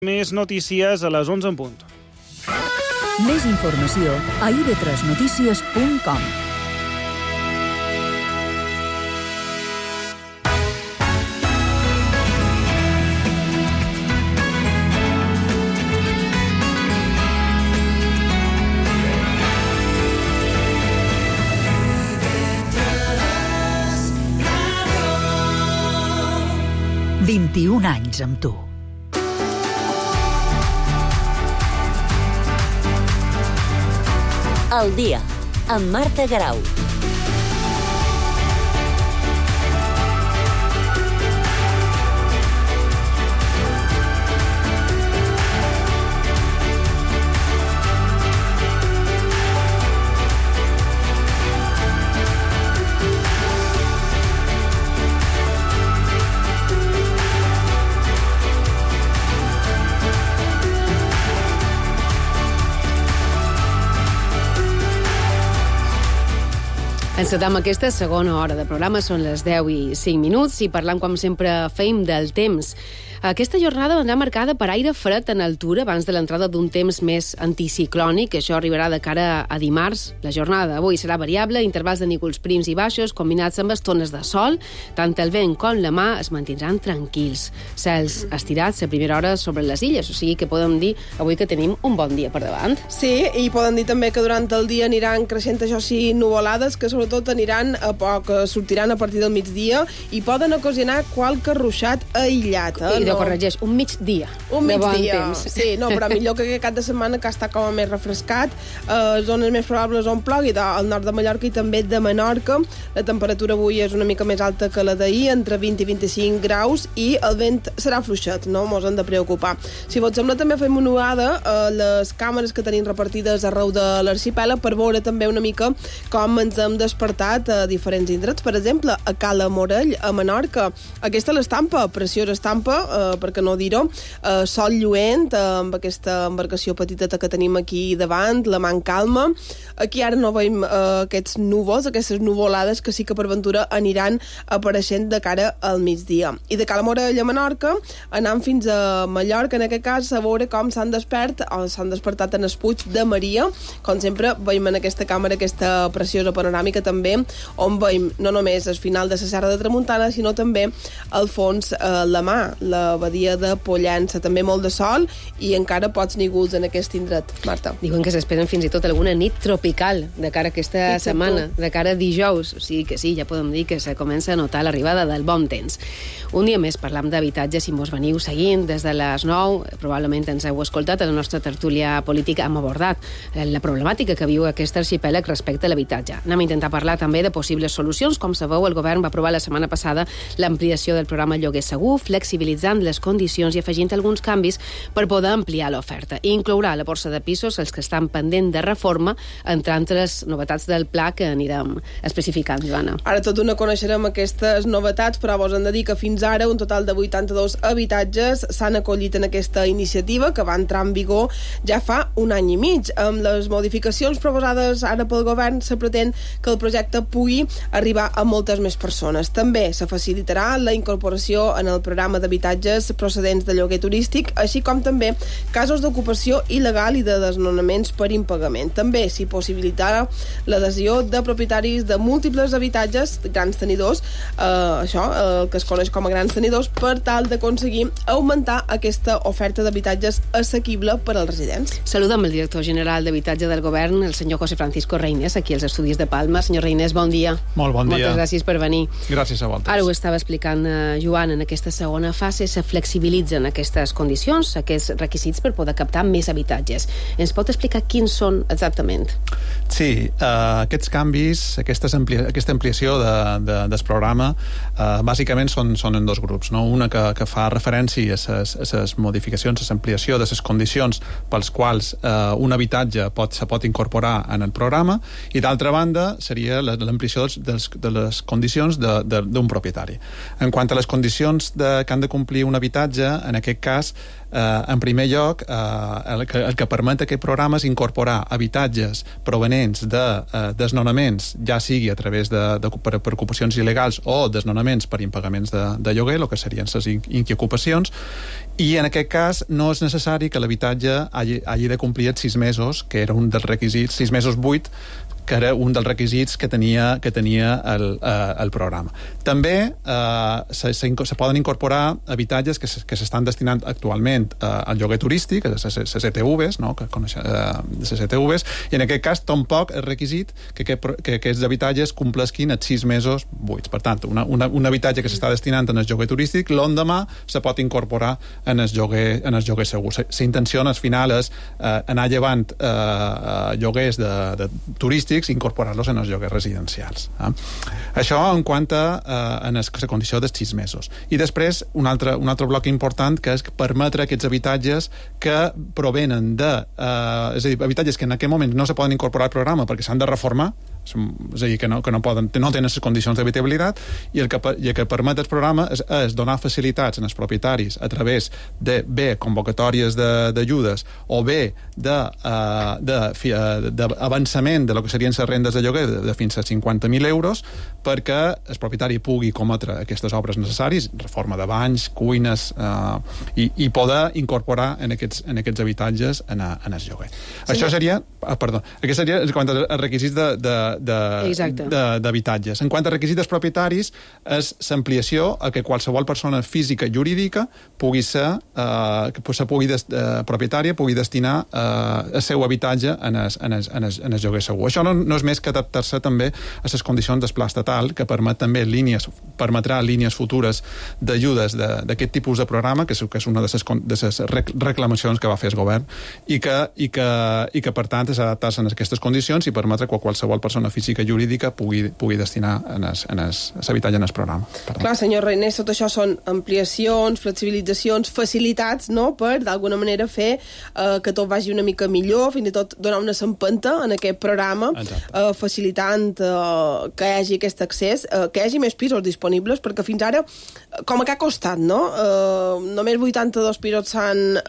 Més notícies a les 11 en punt. Més informació a ib3notícies.com. « 21 anys amb tu. El dia, amb Marta Garau. Encetem aquesta segona hora de programa, són les 10 i 5 minuts i parlant, com sempre, fem del temps. Aquesta jornada vendrà marcada per aire fred en altura abans de l'entrada d'un temps més anticiclònic. Això arribarà de cara a dimarts. La jornada d'avui serà variable, intervals de núvols prims i baixos combinats amb estones de sol. Tant el vent com la mà es mantindran tranquils. Cels estirats a primera hora sobre les illes, o sigui que podem dir avui que tenim un bon dia per davant. Sí, i podem dir també que durant el dia aniran creixent, això sí, nuvolades, que sobretot aniran a poc, sortiran a partir del migdia i poden ocasionar qualque ruixat aïllat. I corregeix, un migdia. Un migdia, temps. Sí, no, però millor que aquest cap de setmana, que està com a més refrescat. Zones més probables on plogui, al nord de Mallorca i també de Menorca. La temperatura avui és una mica més alta que la d'ahir, entre 20 i 25 graus, i el vent serà fluixet, no mos hem de preocupar. Si vos sembla, també fem una uada a les càmeres que tenim repartides arreu de l'arxipèlag per veure també una mica com ens hem despertat a diferents indrets. Per exemple, a Cala Morell, a Menorca. Aquesta és l'estampa, preciosa estampa, perquè no dir-ho, sol lluent, amb aquesta embarcació petiteta que tenim aquí davant, la mà en calma. Aquí ara no veiem aquests núvols, aquestes nuvolades que sí que per ventura aniran apareixent de cara al migdia. I de Cala Morell a Menorca, anant fins a Mallorca, en aquest cas, a veure com s'han despertat en el Puig de Maria. Com sempre, veiem en aquesta càmera aquesta preciosa panoràmica també, on veiem no només el final de la Serra de Tramuntana, sinó també al fons la mà, la badia de Pollença, també molt de sol i encara pocs núvols en aquest indret, Marta. Diuen que s'esperen fins i tot alguna nit tropical de cara a aquesta setmana, de cara a dijous, o sigui que sí, ja podem dir que se comença a notar l'arribada del bon temps. Un dia més parlam d'habitatge, si mos veniu seguint des de les 9, probablement ens heu escoltat, a la nostra tertúlia política hem abordat la problemàtica que viu aquest arxipèlag respecte a l'habitatge. Anem a intentar parlar també de possibles solucions. Com sabeu, el govern va aprovar la setmana passada l'ampliació del programa Lloguer Segur, flexibilitzant les condicions i afegint alguns canvis per poder ampliar l'oferta. I inclourà la borsa de pisos els que estan pendent de reforma, entre altres novetats del pla que anirem especificant, Joana. Ara tot no coneixerem aquestes novetats, però vos hem de dir que fins ara un total de 82 habitatges s'han acollit en aquesta iniciativa que va entrar en vigor ja fa un any i mig. Amb les modificacions proposades ara pel govern se pretén que el projecte pugui arribar a moltes més persones. També se facilitarà la incorporació en el programa d'habitatges procedents de lloguer turístic, així com també casos d'ocupació il·legal i de desnonaments per impagament. També s'hi possibilitarà l'adhesió de propietaris de múltiples habitatges, grans tenidors, el que es coneix com a grans tenidors, per tal d'aconseguir augmentar aquesta oferta d'habitatges assequible per als residents. Saludem el director general d'Habitatge del Govern, el senyor José Francisco Reynés, aquí als estudis de Palma. Senyor Reynés, bon dia. Molt bon dia. Moltes gràcies per venir. Gràcies a vosaltres. Ara ho estava explicant Joan, en aquesta segona fase se flexibilitzen aquestes condicions, aquests requisits per poder captar més habitatges. Ens pot explicar quins són exactament? Sí, aquests canvis, aquesta ampliació del programa, bàsicament són en dos grups, no? Una que fa referència a les modificacions, a l'ampliació de les condicions pels quals un habitatge se pot incorporar en el programa, i d'altra banda seria l'ampliació de les condicions d'un propietari. En quant a les condicions que han de complir concedir un habitatge, en aquest cas, en primer lloc, el que permet aquest programa és incorporar habitatges provenents de desnonaments, ja sigui a través per ocupacions il·legals o desnonaments per impagaments de lloguer, el que serien les inquiocupacions, i en aquest cas no és necessari que l'habitatge hagi de complir els 6 mesos, que era un dels requisits, 6 mesos 8, que era un dels requisits que tenia el programa. També se poden incorporar habitatges que s'estan destinant actualment al lloguer turístic, a les ETVs, no? Que coneixem, les ETVs, i en aquest cas tampoc és requisit que aquests habitatges complesquin els 6 mesos buits. Per tant, un habitatge que s'està destinant en el lloguer turístic, l'endemà se pot incorporar en el lloguer segur. La intenció al final és anar llevant lloguers de turístics i incorporar-los en els lloguers residencials. Això en quant a la condició dels 6 mesos. I després, un altre bloc important, que és permetre aquests habitatges que provenen de... és a dir, habitatges que en aquest moment no se poden incorporar al programa perquè s'han de reformar, és a dir, que no tenen les condicions d'habitabilitat, i el que permet el programa és donar facilitats als propietaris a través de bé convocatòries d'ajudes o bé d'avançament de lo que serien les rendes de lloguer de fins a 50.000 euros perquè el propietari pugui cometre aquestes obres necessàries, reforma de banys, cuines, i poder incorporar en aquests habitatges en el lloguer. Sí. Això seria... Aquest seria en quant als requisits d'habitatges. En quant a requisits propietaris, és l'ampliació a que qualsevol persona física i jurídica propietària pugui destinar el seu habitatge en el lloguer segur. Això no és més que adaptar-se també a les condicions del pla estatal, que permetrà línies futures d'ajudes d'aquest tipus de programa, que és una de les reclamacions que va fer el govern, i que per tant és adaptar-se a aquestes condicions i permetre que qualsevol persona física i jurídica pugui destinar l'habitatge en el programa. Clar, senyor Reiner, tot això són ampliacions, flexibilitzacions, facilitats, no?, per d'alguna manera fer que tot vagi una mica millor, fins i tot donar una empenta en aquest programa, facilitant que hi hagi aquest accés, que hi hagi més pisos disponibles, perquè fins ara, com que ha costat, no? Només 82 pisos s'han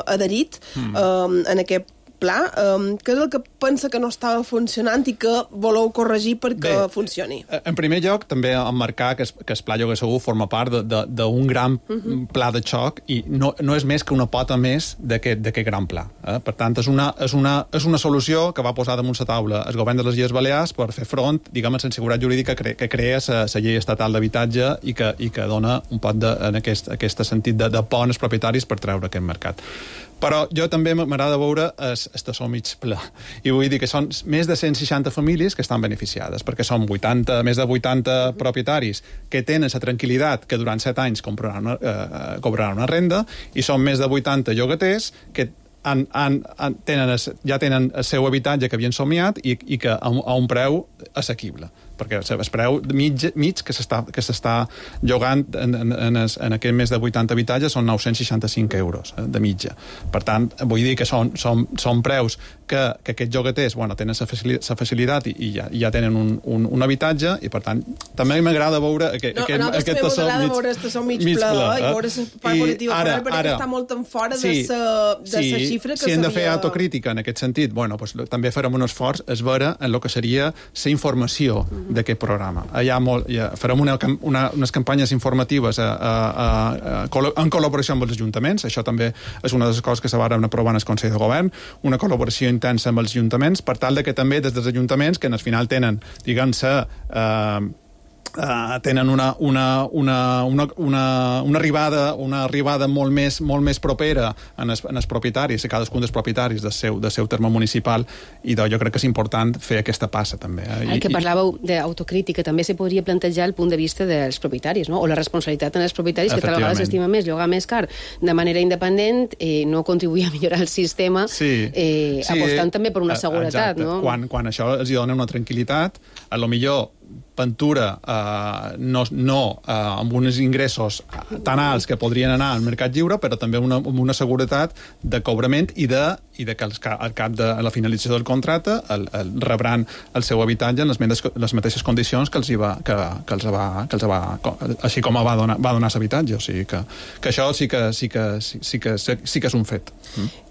adherit en aquest pla. Què és el que pensa que no estava funcionant i que voleu corregir perquè funcioni? En primer lloc, també emmarcar que el Pla Lloguer Segur forma part d'un gran pla de xoc i no és més que una pota més d'aquest gran pla. Per tant, és una solució que va posar damunt la taula el govern de les Illes Balears per fer front, diguem, a la seguretat jurídica que crea la llei estatal d'habitatge i que dona un pot en aquest sentit de pont als propietaris per treure aquest mercat. Però jo també m'agrada veure el tassó mig ple. I vull dir que són més de 160 famílies que estan beneficiades, perquè són més de 80 propietaris que tenen la tranquil·litat que durant 7 anys cobraran una renda, i són més de 80 llogaters que ja tenen el seu habitatge que havien somiat i que a un preu assequible, perquè el preu mig que s'està llogant en aquest més de 80 habitatges són 965 euros de mitja. Per tant, vull dir que són preus que aquests llogaters tenen la facilitat i ja tenen un habitatge, i per tant també m'agrada veure aquest tassó mig ple i veure la part positiva, perquè està molt en fora de la xifra que si hem de fer autocrítica en aquest sentit, també farem un esforç es veure en el que seria la informació d'aquest programa. Farem unes campanyes informatives en col·laboració amb els ajuntaments. Això també és una de les coses que se van aprovar en el Consell de Govern, una col·laboració intensa amb els ajuntaments, per tal que també des dels ajuntaments, que al final tenen, diguem-se, tenen una arribada molt més propera en els propietaris, a cadascun dels propietaris del seu terme municipal, i jo crec que és important fer aquesta passa també. Que parlàveu d'autocrítica, també se podria plantejar el punt de vista dels propietaris, no? O la responsabilitat en els propietaris, que tal vegada s'estima més llogar més car de manera independent, no contribuir a millorar el sistema, apostant també per una seguretat, no? Quan això els dona una tranquil·litat, a lo millor Ventura amb uns ingressos tan alts que podrien anar al mercat lliure, però també amb una seguretat de cobrament i de i de que al cap de la finalització del contracte rebran el seu habitatge en les mateixes condicions que els va, així com va donar l'habitatge. O sigui que això sí que és un fet.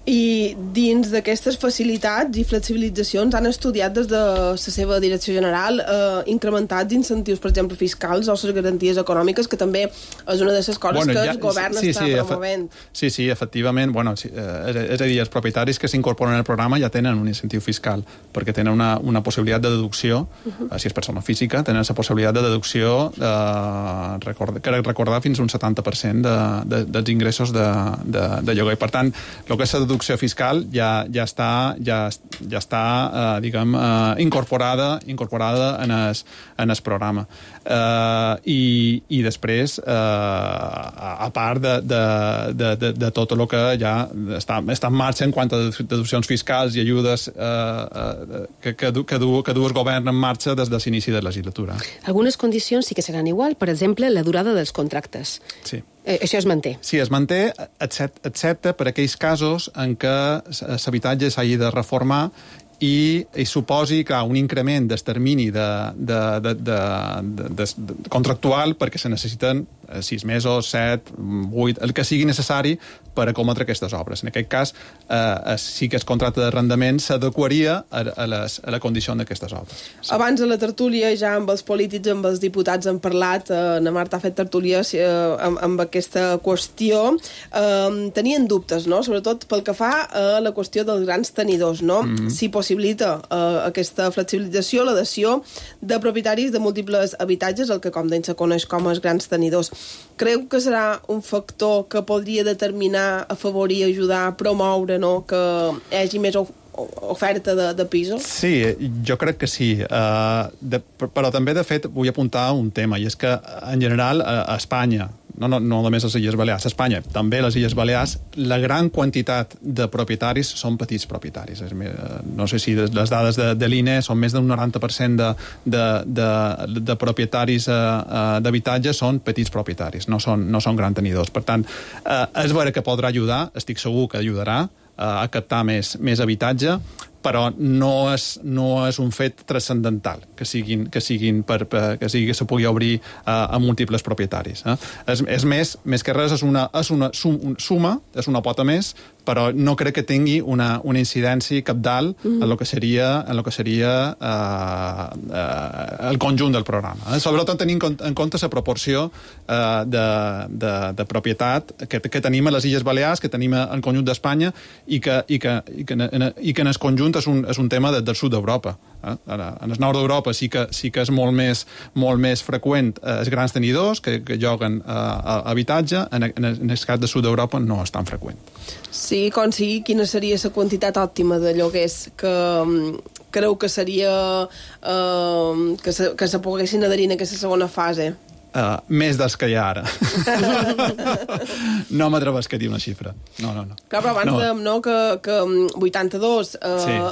I dins d'aquestes facilitats i flexibilitzacions han estudiat des de la seva direcció general incrementats incentius, per exemple, fiscals o les garanties econòmiques, que també és una de les coses que el govern està promovent. Sí, efectivament. És a dir, els propietaris que s'incorporen al programa ja tenen un incentiu fiscal, perquè tenen una possibilitat de deducció, si és persona física, tenen la possibilitat de deducció recordar fins a un 70% dels ingressos de lloguer. Per tant, el que és la deducció fiscal ja està diguem, incorporada en el programa. I després, a part de tot el que ja està en marxa en quant a deduccions fiscals i ajudes que du el govern en marxa des de l'inici de la legislatura. Algunes condicions sí que seran igual, per exemple, la durada dels contractes. Sí. Això es manté. Sí, es manté, excepte per aquells casos en què l'habitatge s'hagi de reformar i suposi un increment del termini contractual perquè se necessiten 6 mesos, 7, 8, el que sigui necessari per acometre aquestes obres. En aquest cas, sí que el contracte d'arrendament s'adequaria a la condició d'aquestes obres. Sí. Abans de la tertúlia, ja amb els polítics, amb els diputats han parlat, na Marta ha fet tertúlia amb aquesta qüestió. Tenien dubtes, no?, sobretot pel que fa a la qüestió dels grans tenidors, no? Si possibilita aquesta flexibilització, l'adhesió de propietaris de múltiples habitatges, el que com deia se coneix com els grans tenidors. Creu que serà un factor que podria determinar, afavorir, ajudar, a promoure, no?, que hi hagi més oferta de pisos? Sí, jo crec que sí. Però també, de fet, vull apuntar un tema, i és que, en general, a Espanya, no només les Illes Balears, a Espanya, també a les Illes Balears, la gran quantitat de propietaris són petits propietaris. No sé si les dades de l'INE són més d'un 90% de propietaris d'habitatge són petits propietaris, no són grans tenidors. Per tant, és vera que podrà ajudar, estic segur que ajudarà a captar més habitatge, però no és un fet transcendental que se pugui obrir a múltiples propietaris. És més que res, és una suma, és una pota més, però no crec que tingui una incidència cabdal en el que seria el conjunt del programa. Sobretot tenint en compte la proporció de propietat que tenim a les Illes Balears, que tenim al conjunt d'Espanya i que en el conjunt és un tema del sud d'Europa. En el nord d'Europa sí que és molt més freqüent els grans tenidors que lloguen habitatge, en el cas del sud d'Europa no és tan freqüent. Sí, com sigui, quina seria la quantitat òptima de lloguers que creu que seria que se poguessin adherir en aquesta segona fase? Més dels que hi ha ara. No m'atrevesc a dir una xifra. No. Clar, però abans dèiem que 82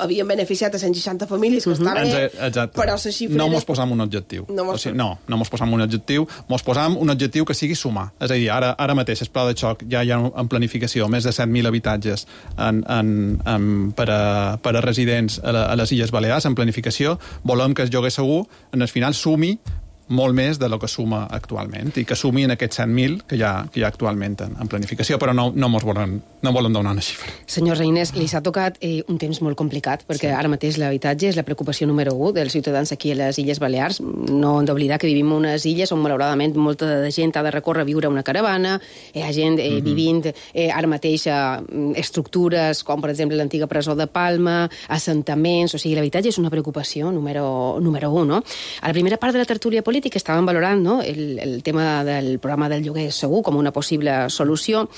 havien beneficiat a 160 famílies, que està bé, però la xifra... No mos posam un objectiu. No mos posam un objectiu. Mos posam un objectiu que sigui sumar. És a dir, ara mateix el pla de xoc ja hi ha en planificació més de 7.000 habitatges per a residents a les Illes Balears, en planificació. Volem que el lloguer segur, en el final, sumi molt més de lo que suma actualment i que sumi en aquests 100.000 que hi ha actualment en planificació, però no volen donar una xifra. Senyor Reinés, li s'ha tocat un temps molt complicat, perquè ara mateix l'habitatge és la preocupació número 1 dels ciutadans aquí a les Illes Balears. No hem d'oblidar que vivim en unes illes on, malauradament, molta de gent ha de recórrer a viure a una caravana, hi ha gent vivint ara mateix a estructures com, per exemple, l'antiga presó de Palma, assentaments, o sigui, l'habitatge és una preocupació número 1, no? A la primera part de la tertúlia política que estaven valorant, no?, el tema del programa del lloguer segur com una possible solució,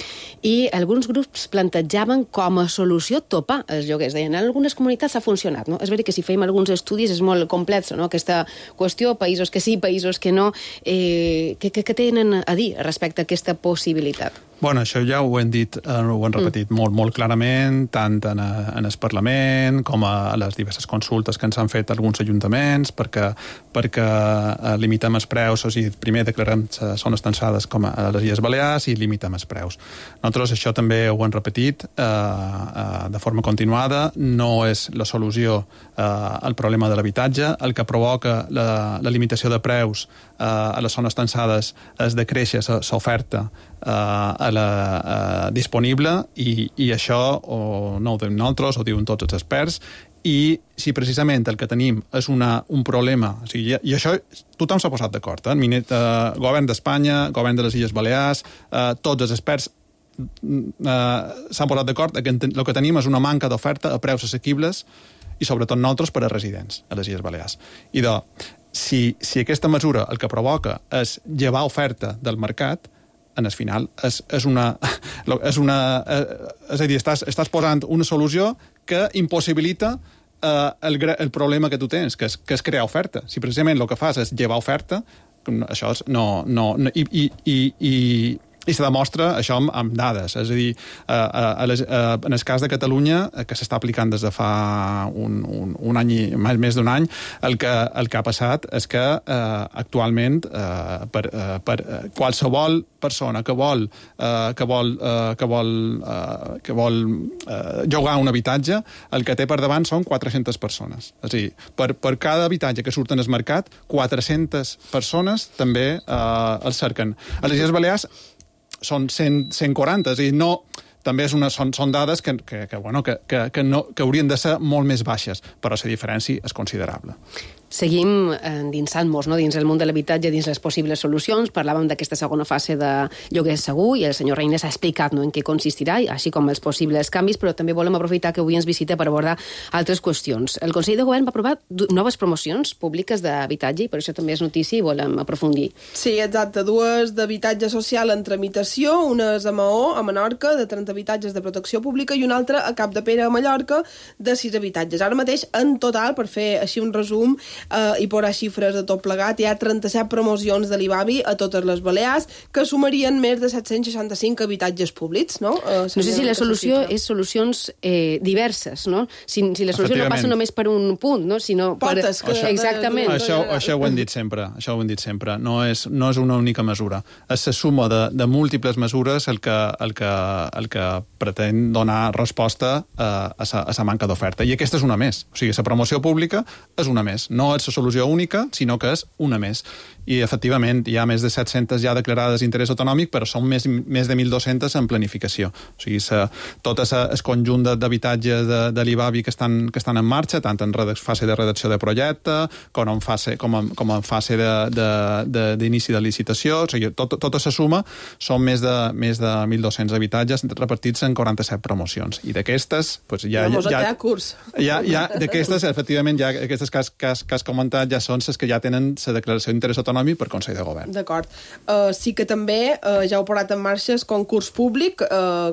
i alguns grups plantejaven com a solució topar els lloguers. Deien, en algunes comunitats ha funcionat, no? És veritat que si fèiem alguns estudis és molt complex, no?, aquesta qüestió, països que sí, països que no. Què tenen a dir respecte a aquesta possibilitat? Bueno, això ja ho hem dit, ho hem repetit molt clarament, tant en el Parlament com a les diverses consultes que ens han fet alguns ajuntaments perquè limitem els preus, o sigui, primer declarem zones tensades com a les Illes Balears i limitem els preus. Nosaltres això també ho hem repetit de forma continuada, no és la solució al problema de l'habitatge, el que provoca la limitació de preus a les zones tensades és de créixer l'oferta disponible i això no ho diem nosaltres, ho diuen tots els experts, i si precisament el que tenim és un problema, o sigui, i això tothom s'ha posat d'acord, govern d'Espanya, govern de les Illes Balears, tots els experts s'han posat d'acord que el que tenim és una manca d'oferta a preus assequibles i sobretot nosaltres per a residents a les Illes Balears. I si aquesta mesura el que provoca és llevar oferta del mercat, en el final és a dir, estàs posant una solució que impossibilita el problema que tu tens, que és crear oferta. Si precisament el que fas és llevar oferta, això i se demostra això amb dades. És a dir, en el cas de Catalunya, que s'està aplicant des de fa un any, més d'un any, el que ha passat és que actualment per qualsevol persona que vol llogar un habitatge, el que té per davant són 400 persones. És a dir, per cada habitatge que surt en el mercat, 400 persones també el cerquen. A les Illes Balears són 140, és a dir, també són dades que haurien de ser molt més baixes, però la diferència és considerable. Seguim endinsant-nos dins el món de l'habitatge, dins les possibles solucions. Parlàvem d'aquesta segona fase de lloguer segur i el senyor Reines ha explicat en què consistirà, així com els possibles canvis, però també volem aprofitar que avui ens visita per abordar altres qüestions. El Consell de Govern va aprovar noves promocions públiques d'habitatge i per això també és notícia i volem aprofundir. Sí, exacte. 2 d'habitatge social en tramitació, una és a Maó, a Menorca, de 30 habitatges de protecció pública i una altra a Capdepera, a Mallorca, de 6 habitatges. Ara mateix, en total, per fer així un resum, i posar xifres de tot plegat, hi ha 37 promocions de l'IBABI a totes les Balears que sumarien més de 765 habitatges públics, no? No sé si la solució és solucions diverses, no? Si la solució no passa només per un punt, no? Sinó portes per... Exactament. Això ho hem dit sempre. No és una única mesura. És la suma de múltiples mesures el que pretén donar resposta a la manca d'oferta. I aquesta és una més. O sigui, la promoció pública és una més. No és la solució única, sinó que és una més. I, efectivament, hi ha més de 700 ja declarades d'interès autonòmic, però són més de 1.200 en planificació. O sigui, tot el conjunt d'habitatges de l'IBABI que estan en marxa, tant en fase de redacció de projecte, com en fase d'inici de licitació. O sigui, tota la suma són més de 1.200 habitatges repartits en 47 promocions. I d'aquestes, d'aquestes, efectivament, ja aquestes que has comentat ja són les que ja tenen la declaració d'interès autonòmic per Consell de Govern. D'acord. Sí que també ja heu posat en marxa el concurs públic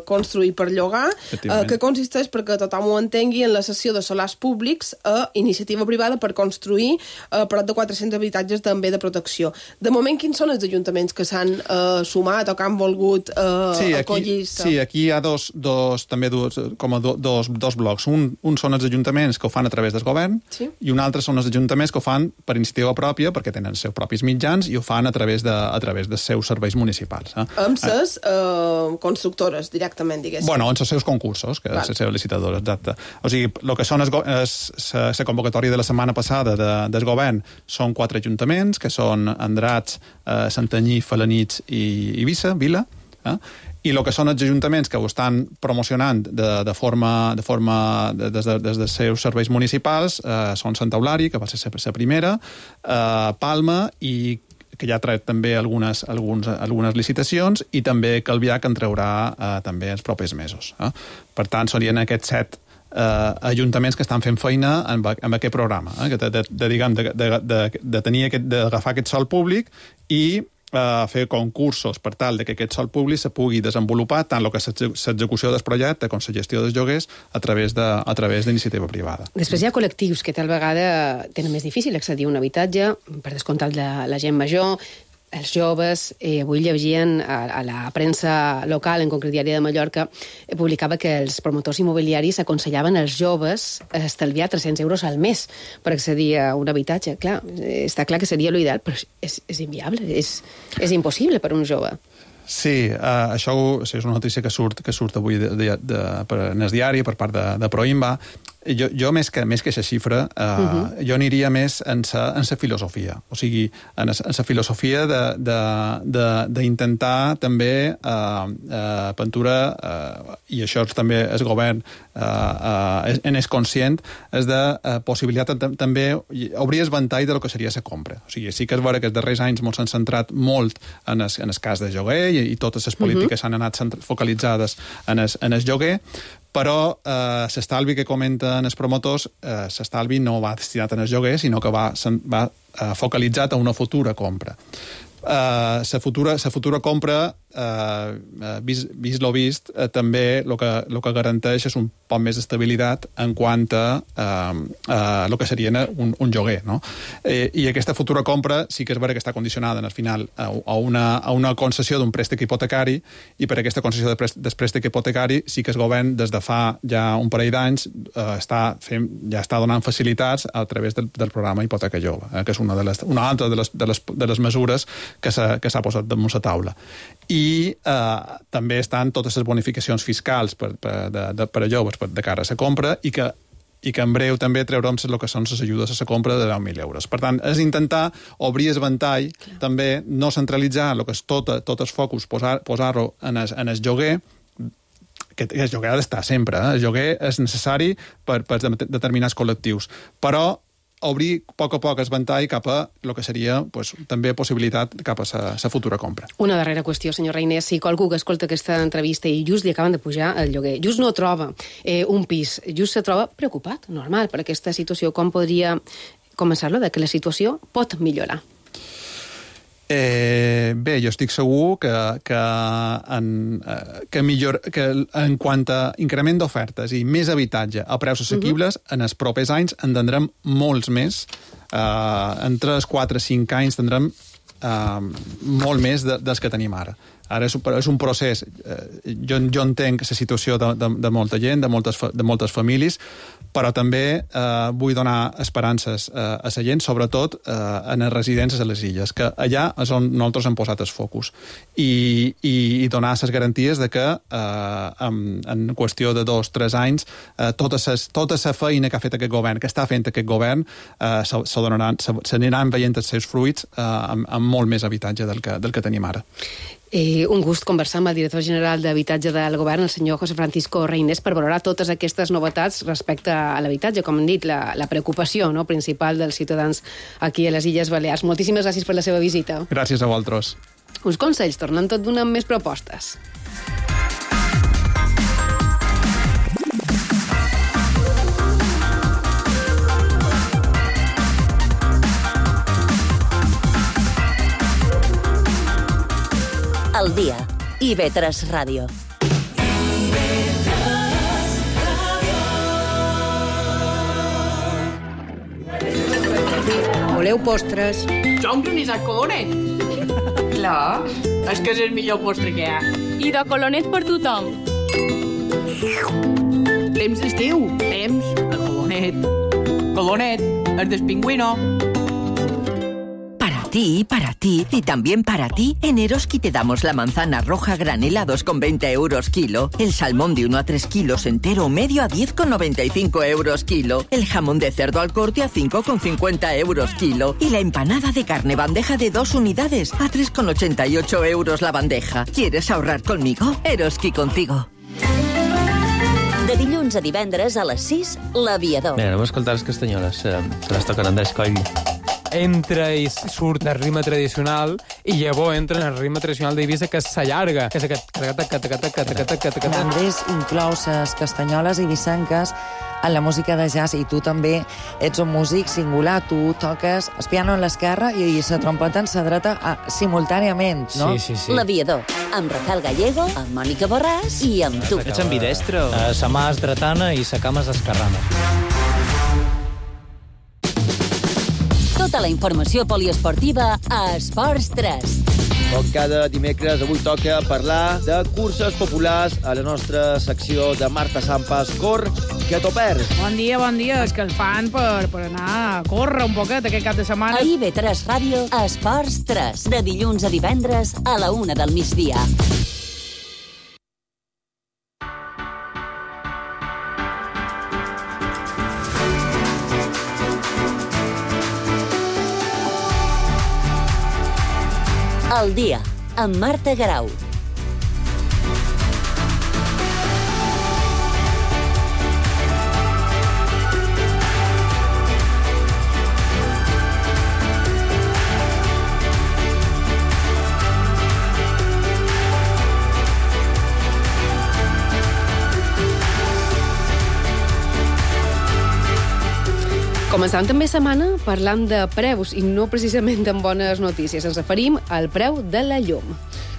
construir per llogar, que consisteix, perquè tothom ho entengui, en la cessió de solars públics a iniciativa privada per construir prop de 400 habitatges també de protecció. De moment, quins són els ajuntaments que s'han sumat o que han volgut acollir? Sí, aquí hi ha dos blocs. Un són els ajuntaments que ho fan a través del govern i un altre són els ajuntaments que ho fan per iniciativa pròpia, perquè tenen els seus propis mitjans i ho fan a través dels seus serveis municipals. Amb les constructores, directament, diguéssim. Bueno, amb els seus concursos, que és la seva licitadora, exacte. O sigui, el que són la convocatòria de la setmana passada del govern són 4 ajuntaments, que són Andratx, Santanyí, Felanitx i Eivissa, Vila, i el que són els ajuntaments que ho estan promocionant des dels seus serveis municipals són Santa Eulària, que va ser la primera, Palma, i que ja ha tret també algunes licitacions, i també Calvià, que en traurà també els propers mesos. Per tant, serien aquests 7 ajuntaments que estan fent feina amb aquest programa, d'agafar aquest sòl públic i fer concursos per tal que aquest sòl públic se pugui desenvolupar tant el que és l'execució del projecte com la gestió dels lloguers a través d'iniciativa privada. Després hi ha col·lectius que tal vegada tenen més difícil accedir a un habitatge, per descomptat la gent major, els joves, avui llegien a la premsa local, en concret Diari de Mallorca, publicava que els promotors immobiliaris aconsellaven als joves estalviar 300 euros al mes per accedir a un habitatge. Clar, està clar que seria l'ideal, però és inviable, és impossible per un jove. Sí, això és una notícia que surt avui en el diari per part de Proinba. Jo més que aquesta xifra, jo aniria més en la filosofia. O sigui, en la filosofia d'intentar també pintura, i això també el govern és conscient, és de possibilitat també obrir el ventall del que seria la compra. O sigui, sí que és vera que els darrers anys s'han centrat molt en el cas de lloguer i totes les polítiques s'han anat focalitzades en el lloguer, però l'estalvi que comenten els promotors, l'estalvi no va destinat en el lloguer, sinó que va focalitzat a una futura compra. La futura compra, vist lo vist, també el que garanteix és un poc més d'estabilitat en quant a el que seria un lloguer, no? I aquesta futura compra sí que és vera que està condicionada al final a una concessió d'un préstec hipotecari, i per aquesta concessió del préstec hipotecari sí que el govern des de fa ja un parell d'anys ja està donant facilitats a través del programa Hipoteca Jove, que és una altra de les mesures que s'ha posat damunt la taula. I també estan totes les bonificacions fiscals per a joves de cara a la compra, i que en breu també treurem el que són les ajudes a la compra de 10.000 euros. Per tant, és intentar obrir el ventall, també no centralitzar el que és tot el focus, posar-lo en el lloguer, que el lloguer ha d'estar sempre. El lloguer és necessari per determinats col·lectius, però obrir a poc el ventall cap a el que seria també possibilitat cap a la futura compra. Una darrera qüestió, senyor Reiner. Si qualcú que escolta aquesta entrevista i just li acaben de pujar el lloguer, just no troba un pis, just se troba preocupat, normal, per aquesta situació, com podria començar-lo, de que la situació pot millorar? Bé, jo estic segur que en quant a increment d'ofertes i més habitatge a preus assequibles, en els propers anys en tindrem molts més. En 3, 4, 5 anys tindrem molt més dels que tenim ara. Ara és un procés. Jo entenc la situació de molta gent, de moltes famílies, però també vull donar esperances a la gent, sobretot en les residències a les illes, que allà és on nosaltres hem posat el focus, i donar les garanties de que en qüestió de 2 o 3 anys tota la feina que ha fet aquest govern, que està fent aquest govern, s'aniran veient els seus fruits amb molt més habitatge del que tenim ara. Un gust conversar amb el director general d'Habitatge del Govern, el senyor José Francisco Reynés, per valorar totes aquestes novetats respecte a l'habitatge, com hem dit, la preocupació principal dels ciutadans aquí a les Illes Balears. Moltíssimes gràcies per la seva visita. Gràcies a vosaltres. Uns consells, tornem tot d'una amb més propostes. Al dia. IB3 Ràdio. Voleu postres? Jo un granissat colonet. Clar, és que és el millor postre que hi ha. I de colonet per tothom. Temps d'estiu, temps de colonet. Colonet, el del pingüino. Para ti y también para ti, en Eroski te damos la manzana roja granelados con 20 euros kilo, el salmón de 1 a 3 kilos entero o medio a 10,95 euros kilo, el jamón de cerdo al corte a 5,50 euros kilo y la empanada de carne bandeja de 2 unidades a 3,88 euros la bandeja. ¿Quieres ahorrar conmigo? Eroski contigo. De dilluns a divendres a les 6, l'Aviador. Mira, anem a escoltar les castanyoles, que les toquen Andrés Coll. Entra i surt el ritme tradicional i llavors entra en el ritme tradicional d'Eivissa, que s'allarga, que és aquest... Andrés inclou les castanyoles eivissenques en la música de jazz, i tu també ets un músic singular. Tu toques el piano en l'esquerra i la trompeta en la dreta simultàniament, no? Sí. L'Aviador, amb Rafael Gallego, amb Mònica Borràs i amb tu. Ets ambidestre? Sa mà és dretana i sa cama és esquerrana. Tota la informació poliesportiva a Esports 3. Com cada dimecres, avui toca parlar de curses populars a la nostra secció de Marta Sampas, Cor, que t'ho perds. Bon dia, és que el fan per anar a córrer un poquet aquest cap de setmana. A IB3 Ràdio, Esports 3, de dilluns a divendres a la 1 del migdia. El dia, amb Marta Garau. Començant també setmana parlant de preus i no precisament amb bones notícies. Ens referim al preu de la llum.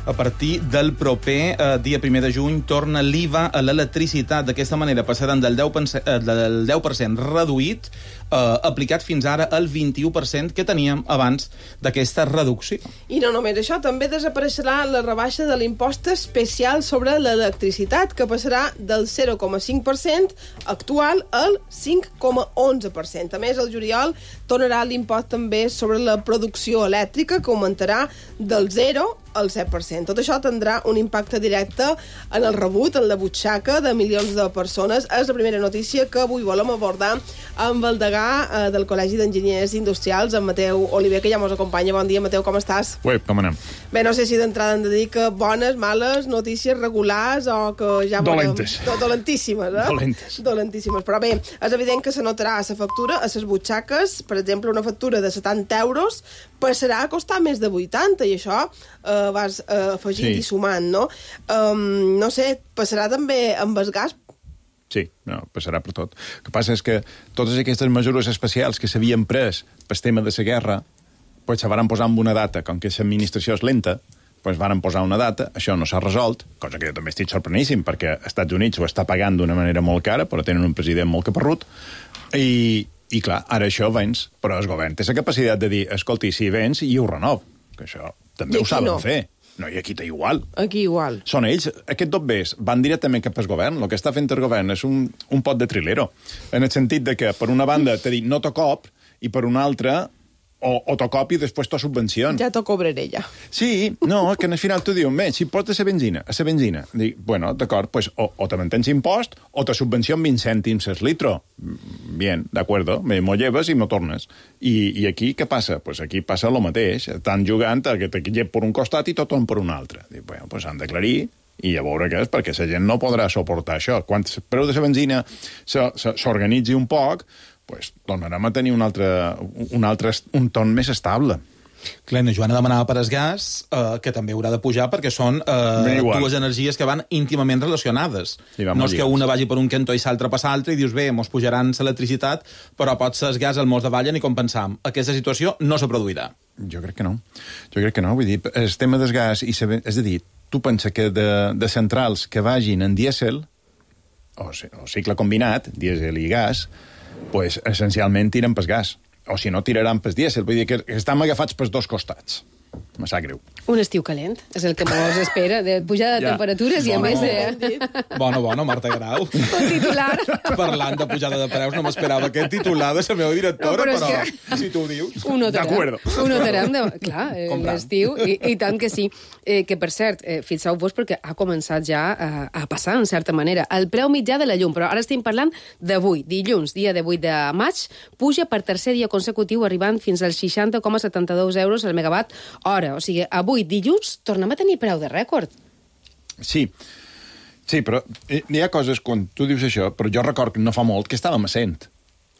A partir del proper dia 1 de juny torna l'IVA a l'electricitat. D'aquesta manera passaran del 10% reduït aplicat fins ara al 21% que teníem abans d'aquesta reducció. I no només això, també desapareixerà la rebaixa de l'impost especial sobre l'electricitat, que passarà del 0,5% actual al 5,11%. A més, el juliol tornarà l'impost també sobre la producció elèctrica, que augmentarà del 0 al 7%. Tot això tindrà un impacte directe en el rebut, en la butxaca de milions de persones. És la primera notícia que avui volem abordar amb el degà del Col·legi d'Enginyers Industrials, en Mateu Oliver, que ja ens acompanya. Bon dia, Mateu, com estàs? Ué, com anem? Bé, no sé si d'entrada hem de dir que bones, males, notícies regulars o que ja... Dolentes. Dolentíssimes, eh? Dolentíssimes. Però bé, és evident que se notarà a la factura, a les butxaques. Per exemple, una factura de 70 euros passarà a costar més de 80, i això vas afegint i sumant, no? No sé, passarà també amb el gas? Sí, no, passarà per tot. El que passa és que totes aquestes mesures especials que s'havien pres pel tema de la guerra, pues se van posar amb una data. Com que l'administració és lenta, pues van posar una data, això no s'ha resolt, cosa que jo també estic sorpreníssim, perquè els Estats Units ho està pagant d'una manera molt cara, però tenen un president molt caparrut, i clar, ara això vens, però el govern té la capacitat de dir, escolti, si vens, i ho renov, que això també ho saben fer. No, i aquí té igual. Aquí igual. Són ells, aquests dos bés, van directament cap al govern. El que està fent el govern és un pot de trilero. En el sentit de que, per una banda, t'ha dit no t'ho cop, i per una altra, o t'ho cop i després t'ho subvenciona. Ja t'ho cobraré, ja. Sí, no, que al final t'ho diuen, bé, si portes a la benzina, dic, bueno, d'acord, pues, o te mantens impost, o te subvenciona 20 cèntims el litro. Bien, d'acord, m'ho lleves i m'ho tornes. I aquí què passa? Pues aquí passa el mateix. Estan jugant a que te llep per un costat i tothom per un altre. Dic, bueno, pues han d'aclarir i a veure què és, perquè la gent no podrà suportar això. Quan el preu de la benzina s'organitzi un poc, pues tornarem a tenir un ton més estable. Clar, la Joana demanava per el gas, que també haurà de pujar, perquè són dues energies que van íntimament relacionades. No és que una vagi per un cantó i l'altra per l'altre, i dius, bé, mos pujaran l'electricitat, però potser el gas el mos davallen i compensam. Aquesta situació no se produirà. Jo crec que no. Vull dir, el tema del gas, és a dir, tu pensa que de centrals que vagin en dièsel, o cicle combinat, dièsel i gas, pues, essencialment tiren pel gas. O si no, tiraran pel dièsel. Vull dir que estan agafats pels dos costats. Me sap greu. Un estiu calent, és el que mos espera, de pujada de temperatures i a més de... Bona, Marta Garau. Un titular. Parlant de pujada de preus, no m'esperava aquest titular de la meva directora, però que... si tu ho dius... Ho notarem, clar, l'estiu, i tant que sí. Que, per cert, fixeu-vos perquè ha començat ja a passar, en certa manera, el preu mitjà de la llum, però ara estem parlant d'avui, dilluns, dia de 8 de maig, puja per tercer dia consecutiu, arribant fins als 60,72 euros al megawatt hora. O sigui, avui, dilluns, tornem a tenir preu de rècord. Sí, però hi ha coses, quan tu dius això, però jo record que no fa molt que estàvem a 100.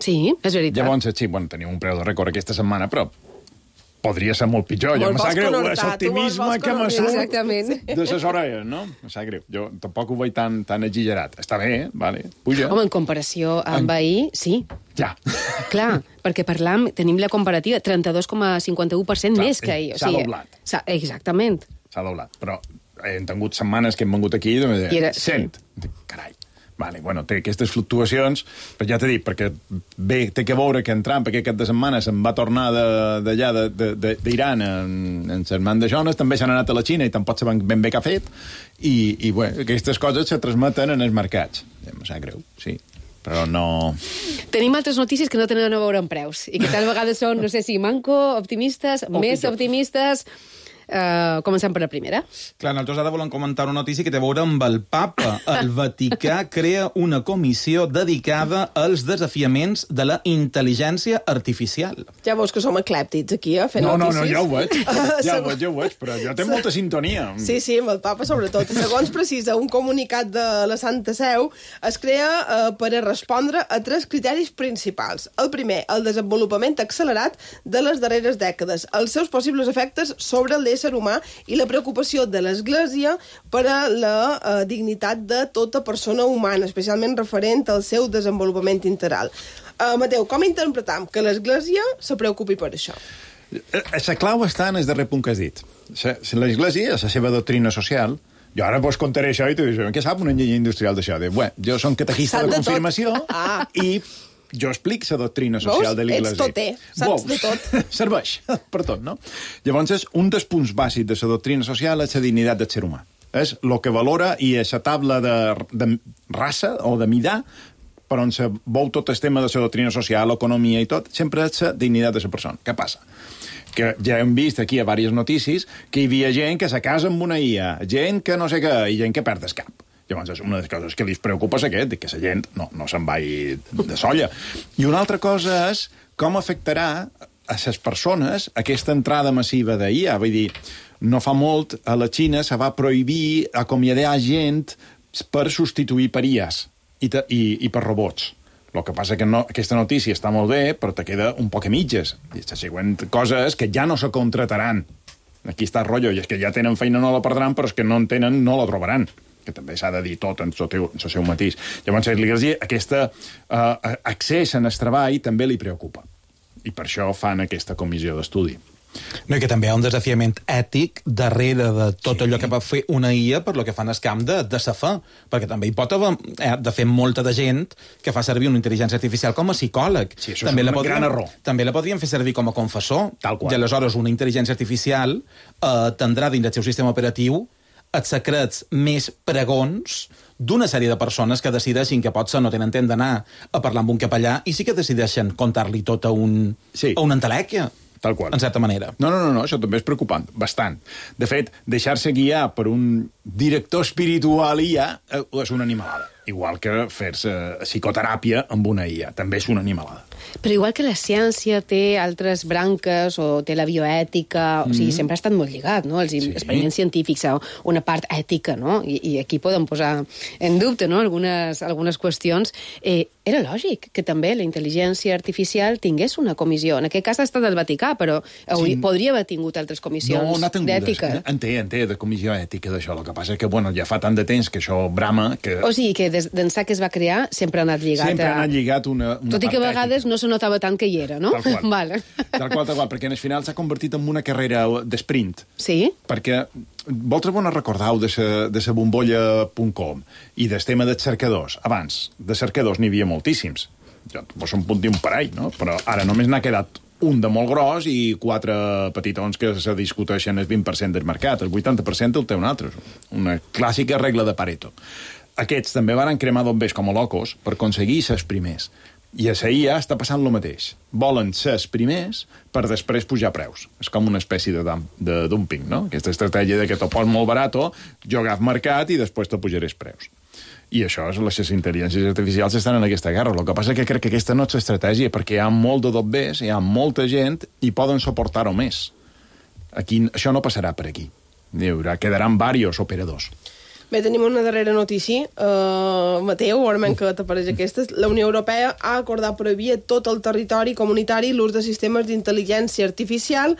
Sí, és veritat. Llavors, sí, tenim un preu de rècord aquesta setmana, però podria ser molt pitjor. Ja me sap greu, l'optimisme que me surt de les orelles, no? Me sap greu. Jo tampoc ho veig tan exagerat. Està bé, vale, puja. Home, en comparació amb ahir, sí. Ja. Clar, perquè tenim la comparativa, 32,51% més que ahir. S'ha doblat. Exactament. S'ha doblat, però hem tingut setmanes que hem vengut aquí i 100. Carai. Vale, bueno, té aquestes fluctuacions, però ja t'he dit, perquè bé, té que veure que en Trump aquest cap de setmana se'n va tornar d'allà, d'Iran, en Sermant de Jones, també s'han anat a la Xina i tampoc saben ben bé què ha fet, i bueno, aquestes coses se transmeten en els mercats. Em sap greu, sí, però no... Tenim altres notícies que no tenen a veure amb preus, i que tal vegades són, no sé si manco, optimistes, més optimistes... Comencem per la primera. Clar, nosaltres ara volem comentar una notícia que té a veure amb el papa. El Vaticà crea una comissió dedicada als desafiaments de la intel·ligència artificial. Ja veus que som eclèptics aquí, fent notícies. No, ja ho veig, però jo tinc molta sintonia. Sí, amb el papa sobretot. Segons precisa un comunicat de la Santa Seu, es crea per a respondre a 3 criteris principals. El primer, el desenvolupament accelerat de les darreres dècades, els seus possibles efectes sobre l'ésser humà i la preocupació de l'Església per a la dignitat de tota persona humana, especialment referent al seu desenvolupament integral. Mateu, com interpretam que l'Església se preocupi per això? La clau està en el darrer punt que has dit. L'Església, la seva doctrina social, jo ara vos contaré això i tu dius, què sap un enginyer industrial d'això? Jo som catequista de confirmació i... jo explico la doctrina social de l'Església. Ets toter, saps de tot. Serveix per tot, no? Llavors, un dels punts bàsics de la doctrina social és la dignitat del ser humà. És el que valora i és la tabla de raça o de mida per on se veu tot el tema de la doctrina social, l'economia i tot, sempre és la dignitat de la persona. Què passa? Que ja hem vist aquí a diverses notícies que hi havia gent que se casa amb una IA, gent que no sé què, i gent que perd el cap. Llavors, una de les coses que li preocupa és aquest, que la gent no se'n vagi de solla. I una altra cosa és com afectarà a les persones aquesta entrada massiva d'IA. Vull dir, no fa molt a la Xina se va prohibir acomiadar gent per substituir per IAs i per robots. El que passa que aquesta notícia està molt bé, però te queda un poc a mitges. I la següent cosa és que ja no se contrataran. Aquí està el rotllo, i és que ja tenen feina, no la perdran, però és que no en tenen, no la trobaran, que també s'ha de dir tot en el seu matís. Llavors, a l'Església, aquest accés en el treball també li preocupa. I per això fan aquesta comissió d'estudi. No, i que també hi ha un desafiament ètic darrere de tot allò que va fer una IA per lo que fan el camp de sa fe, perquè també hi pot haver de fer molta de gent que fa servir una intel·ligència artificial com a psicòleg. Sí, això també és un gran error. També la podríem fer servir com a confessor. Tal qual. I aleshores una intel·ligència artificial tindrà dins del seu sistema operatiu els secrets més pregons d'una sèrie de persones que decideixin que potser no tenen temps d'anar a parlar amb un capellà i sí que decideixen contar-li tot a un entelèquia. Tal qual. En certa manera. No, això també és preocupant, bastant. De fet, deixar-se guiar per un director espiritual IA és una animalada. Igual que fer-se psicoteràpia amb una IA. També és una animalada. Però igual que la ciència té altres branques o té la bioètica, o sigui, sempre ha estat molt lligat, no? Els experiments científics, una part ètica, no? I aquí podem posar en dubte, no?, algunes qüestions. Era lògic que també la intel·ligència artificial tingués una comissió. En aquest cas ha estat el Vaticà, però podria haver tingut altres comissions d'ètica. En té de comissió ètica d'això. El que passa és que, bueno, ja fa tant de temps que això brama que... O sigui, que d'ençà que es va crear sempre ha anat lligat. Sempre ha anat lligat una tot i que a vegades no se notava tant que hi era, no? Tal qual. Vale. Tal qual, perquè en el final s'ha convertit en una carrera d'esprint. Sí? Perquè vosaltres vos recordeu de la bombolla.com i del tema dels cercadors. Abans, de cercadors n'hi havia moltíssims. Vos en punt dir un parell, no? Però ara només n'ha quedat un de molt gros i 4 petitons que se discuteixen el 20% del mercat. El 80% el té un altre. Una clàssica regla de Pareto. Aquests també van cremar bombers com a locos per aconseguir ser els primers. I a la IA està passant el mateix. Volen ser els primers per després pujar preus. És com una espècie de dumping, no? Aquesta estratègia de que t'ho pos molt barat, jo agaf mercat i després te pujaré els preus. I això, les intel·ligències artificials estan en aquesta guerra. El que passa és que crec que aquesta no és l'estratègia, perquè hi ha molt de dobbers, hi ha molta gent i poden suportar-ho més. Aquí, això no passarà per aquí. Quedaran diversos operadors. Bé, tenim una darrera notícia. Mateu, veurem què t'apareix aquesta. La Unió Europea ha acordat prohibir a tot el territori comunitari l'ús de sistemes d'intel·ligència artificial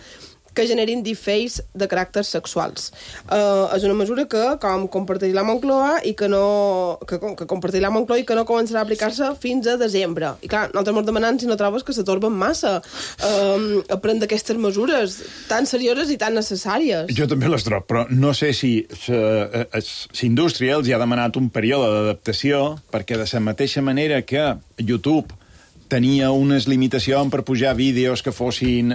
que generin deepfakes de caràcters sexuals. És una mesura que, com compartir la Moncloa, i que compartir la Moncloa i que no començarà a aplicar-se fins a desembre. I clar, nosaltres ens demanem si no trobes que s'atorben massa a prendre aquestes mesures tan serioses i tan necessàries. Jo també les trobo, però no sé si Indústria els hi ha demanat un període d'adaptació, perquè de la mateixa manera que YouTube tenia unes limitacions per pujar vídeos que fossin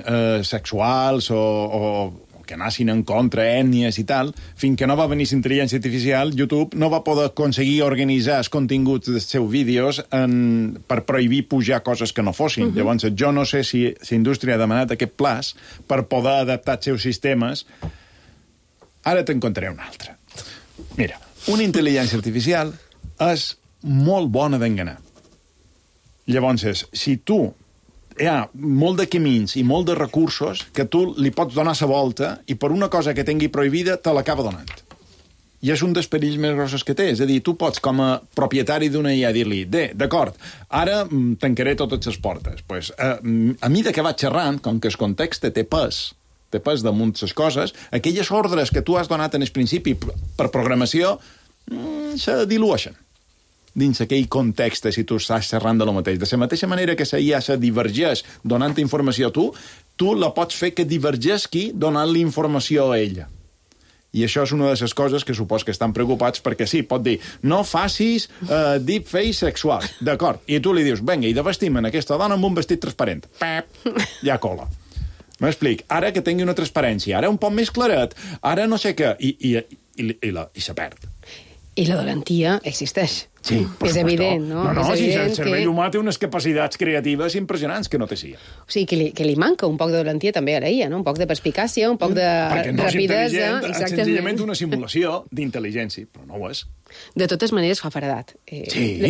sexuals o que anessin en contra ètnies i tal, fins que no va venir l'intel·ligència artificial, YouTube no va poder aconseguir organitzar els continguts dels seus vídeos per prohibir pujar coses que no fossin. Llavors, jo no sé si la indústria ha demanat aquest plaç per poder adaptar els seus sistemes. Ara te'n contaré un altre. Mira, una intel·ligència artificial és molt bona d'enganar. Llavors, si tu hi ha molt de camins i molt de recursos que tu li pots donar la volta i per una cosa que tingui prohibida te l'acaba donant. I és un dels perills més grossos que té. És a dir, tu pots, com a propietari d'una IA, dir-li, d'acord, ara tancaré totes les portes. Pues, a mesura que vaig xerrant, com que el context té pes damunt les coses, aquelles ordres que tu has donat en el principi per programació se dilueixen dins aquell context, si tu estàs xerrant de lo mateix. De la mateixa manera que la IA se divergeix donant informació a tu la pots fer que divergesqui donant-li informació a ella. I això és una de les coses que supos que estan preocupats perquè sí, pot dir, no facis deepfake sexual. D'acord. I tu li dius, vinga, i de vestim en aquesta dona amb un vestit transparent. Pep! Ja cola. M'explic. Ara que tingui una transparència, ara un poc més claret, ara no sé què, i se perd. I la dolentia existeix. Sí, és evident, no? Si el cervell humà té unes capacitats creatives impressionants que no té CIA. O sigui, que li manca un poc de dolentia també a la IA, no? Un poc de perspicàcia, un poc de rapidesa. És senzillament una simulació d'intel·ligència, però no ho és. De totes maneres fa faradat.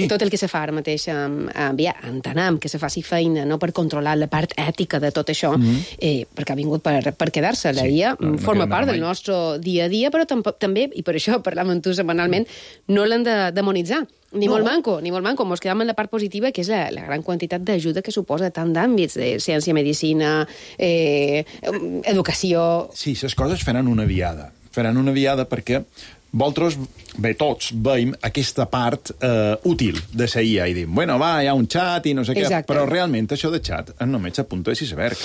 Tot el que se fa ara mateix entenem que se faci feina no per controlar la part ètica de tot això, perquè ha vingut per quedar-se. La IA forma part del nostre dia a dia, però també, i per això parlam amb tu setmanalment, no l'hem de demonitzar. Ni molt manco. Mos quedam en la part positiva, que és la gran quantitat d'ajuda que suposa tant d'àmbits, de ciència, medicina, educació... Sí, les coses faran una viada. Faran una viada perquè vosaltres, tots, veiem aquesta part útil de la IA i dim, bueno, va, hi ha un xat i no sé què, però realment això de xat és només a punta de iceberg.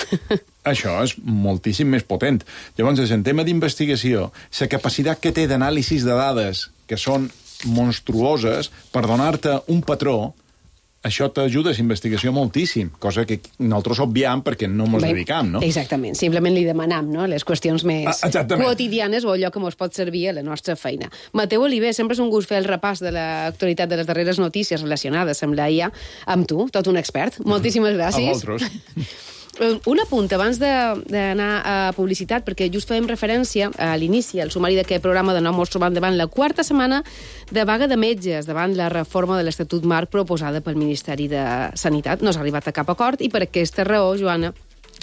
Això és moltíssim més potent. Llavors, en tema d'investigació, la capacitat que té d'anàlisis de dades que són monstruoses per donar-te un patró, això t'ajuda a la investigació moltíssim, cosa que nosaltres obviam perquè no ens dedicam, no? Exactament, simplement li demanam, no?, les qüestions més quotidianes o allò que ens pot servir a la nostra feina. Mateu Oliver, sempre és un gust fer el repàs de l'actualitat de les darreres notícies relacionades amb la IA, amb tu, tot un expert. Moltíssimes gràcies. A vosaltres. Un apunt abans d'anar a publicitat, perquè just fèiem referència a l'inici, al sumari d'aquest programa de nou mos trobam davant la quarta setmana de vaga de metges davant la reforma de l'Estatut Marc proposada pel Ministeri de Sanitat. No s'ha arribat a cap acord i per aquesta raó, Joana,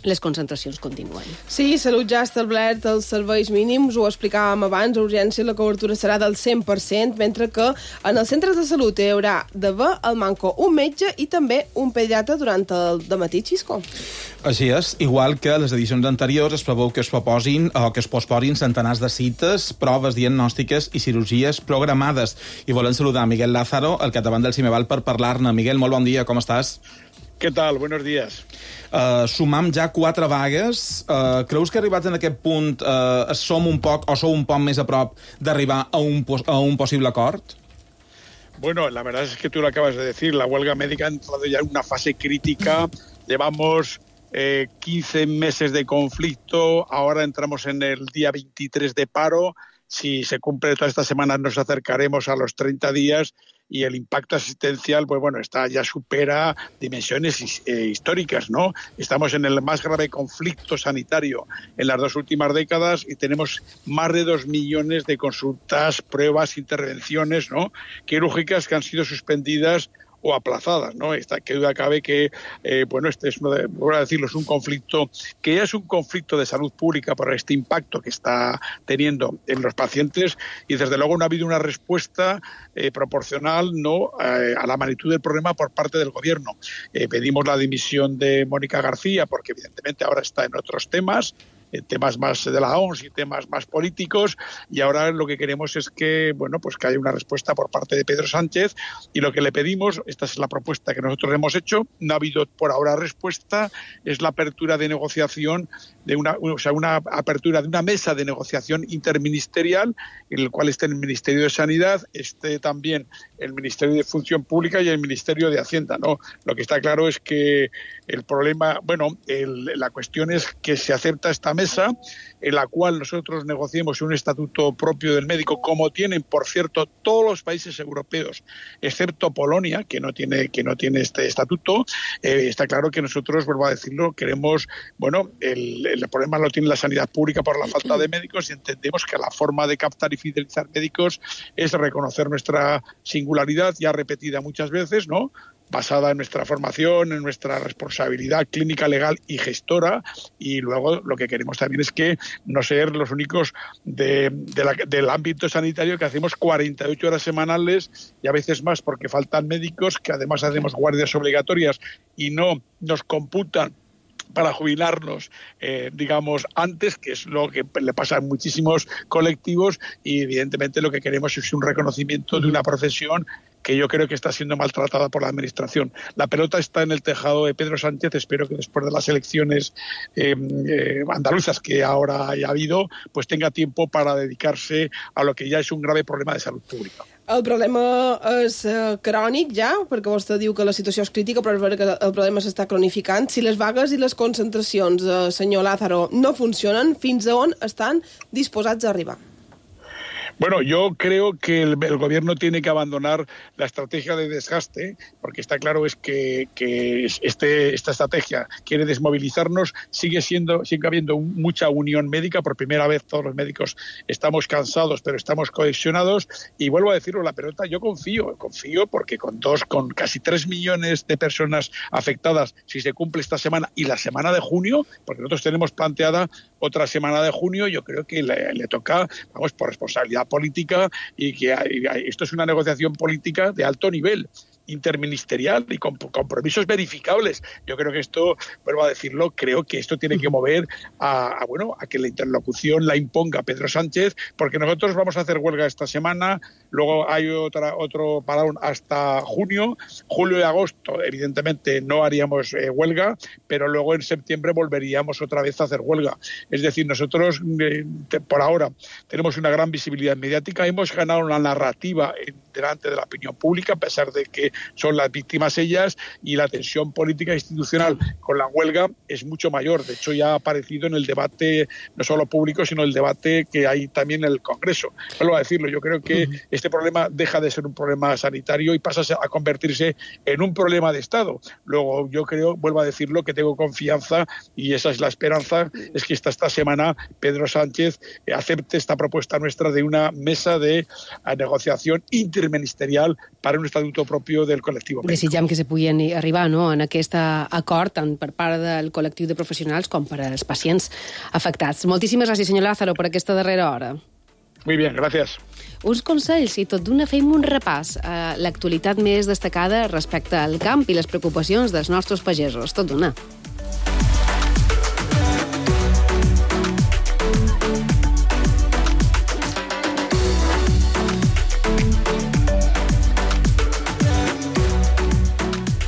les concentracions continuen. Sí, Salut ja ha establert els serveis mínims, ho explicàvem abans, a urgència la cobertura serà del 100%, mentre que en els centres de salut hi haurà d'haver al manco un metge i també un pediatre durant el dematí, Xisco. Així és, igual que les edicions anteriors es preveu que es proposin o que es posposin centenars de cites, proves diagnòstiques i cirurgies programades. I volem saludar Miguel Lázaro, el capdavant del CIMEVAL, per parlar-ne. Miguel, molt bon dia, com estàs? ¿Qué tal? Buenos días. Sumam ja 4 vagues. Creus que arribats en aquest punt som un poc o sou un poc més a prop d'arribar a un possible acord? Bueno, la verdad es que tú lo acabas de decir. La huelga médica ha entrado ya en una fase crítica. Llevamos 15 meses de conflicto. Ahora entramos en el día 23 de paro. Si se cumple toda esta semana nos acercaremos a los 30 días y el impacto asistencial, pues bueno, ya supera dimensiones históricas, ¿no? Estamos en el más grave conflicto sanitario en las 2 últimas décadas y tenemos más de 2 millones de consultas, pruebas, intervenciones, ¿no?, quirúrgicas que han sido suspendidas o aplazadas, ¿no? Que duda cabe que, bueno, este es voy a decirlo, es un conflicto que ya es un conflicto de salud pública por este impacto que está teniendo en los pacientes y desde luego no ha habido una respuesta proporcional, ¿no?, a la magnitud del problema por parte del gobierno. Pedimos la dimisión de Mónica García porque evidentemente ahora está en otros temas. temas más de la OMS y temas más políticos, y ahora lo que queremos es que, bueno, pues que haya una respuesta por parte de Pedro Sánchez, y lo que le pedimos, esta es la propuesta que nosotros hemos hecho, no ha habido por ahora respuesta, es la apertura de negociación una apertura de una mesa de negociación interministerial en el cual esté el Ministerio de Sanidad, esté también el Ministerio de Función Pública y el Ministerio de Hacienda, ¿no? Lo que está claro es que el problema, la cuestión es que se acepta esta mesa en la cual nosotros negociemos un estatuto propio del médico, como tienen, por cierto, todos los países europeos, excepto Polonia, que no tiene este estatuto. Está claro que nosotros, vuelvo a decirlo, queremos, el problema lo tiene la sanidad pública por la falta de médicos, y entendemos que la forma de captar y fidelizar médicos es reconocer nuestra singularidad, ya repetida muchas veces, ¿no?, basada en nuestra formación, en nuestra responsabilidad clínica, legal y gestora, y luego lo que queremos también es que no ser los únicos del ámbito sanitario que hacemos 48 horas semanales y a veces más porque faltan médicos, que además hacemos guardias obligatorias y no nos computan para jubilarnos, antes, que es lo que le pasa a muchísimos colectivos, y evidentemente lo que queremos es un reconocimiento de una profesión que yo creo que está siendo maltratada por la Administración. La pelota está en el tejado de Pedro Sánchez. Espero que después de las elecciones andaluzas que ahora haya habido, pues tenga tiempo para dedicarse a lo que ya és un grave problema de salut pública. El problema és crònic ja, perquè vostè diu que la situació és crítica, però és veritat que el problema s'està cronificant. Si les vagues i les concentracions, senyor Lázaro, no funcionen, fins a on estan disposats a arribar? Bueno, yo creo que el gobierno tiene que abandonar la estrategia de desgaste, porque está claro es que esta estrategia quiere desmovilizarnos. Sigue habiendo mucha unión médica. Por primera vez todos los médicos estamos cansados, pero estamos cohesionados. Y vuelvo a decirlo, la pelota, yo confío porque con casi 3 millones de personas afectadas, si se cumple esta semana y la semana de junio, porque nosotros tenemos planteada otra semana de junio, yo creo que le toca, por responsabilidad política, y que esto es una negociación política de alto nivel, interministerial y con compromisos verificables. Yo creo que esto, vuelvo a decirlo, creo que esto tiene que mover a que la interlocución la imponga Pedro Sánchez, porque nosotros vamos a hacer huelga esta semana, luego hay otro parón hasta junio, julio y agosto, evidentemente no haríamos huelga, pero luego en septiembre volveríamos otra vez a hacer huelga. Es decir, nosotros por ahora tenemos una gran visibilidad mediática, hemos ganado una narrativa delante de la opinión pública, a pesar de que son las víctimas ellas, y la tensión política e institucional con la huelga es mucho mayor. De hecho, ya ha aparecido en el debate, no solo público, sino el debate que hay también en el Congreso. Vuelvo a decirlo, yo creo que este problema deja de ser un problema sanitario y pasa a convertirse en un problema de Estado. Luego, yo creo, vuelvo a decirlo, que tengo confianza, y esa es la esperanza, es que esta semana Pedro Sánchez acepte esta propuesta nuestra de una mesa de negociación interministerial para un estatuto propio del col·lectiu mèdic. Desitgem que se puguin arribar en aquest acord tant per part del col·lectiu de professionals com per als pacients afectats. Moltíssimes gràcies, senyor Lázaro, per aquesta darrera hora. Muy bien, gracias. Uns consells, i tot d'una fem un repàs a l'actualitat més destacada respecte al camp i les preocupacions dels nostres pagesos. Tot d'una.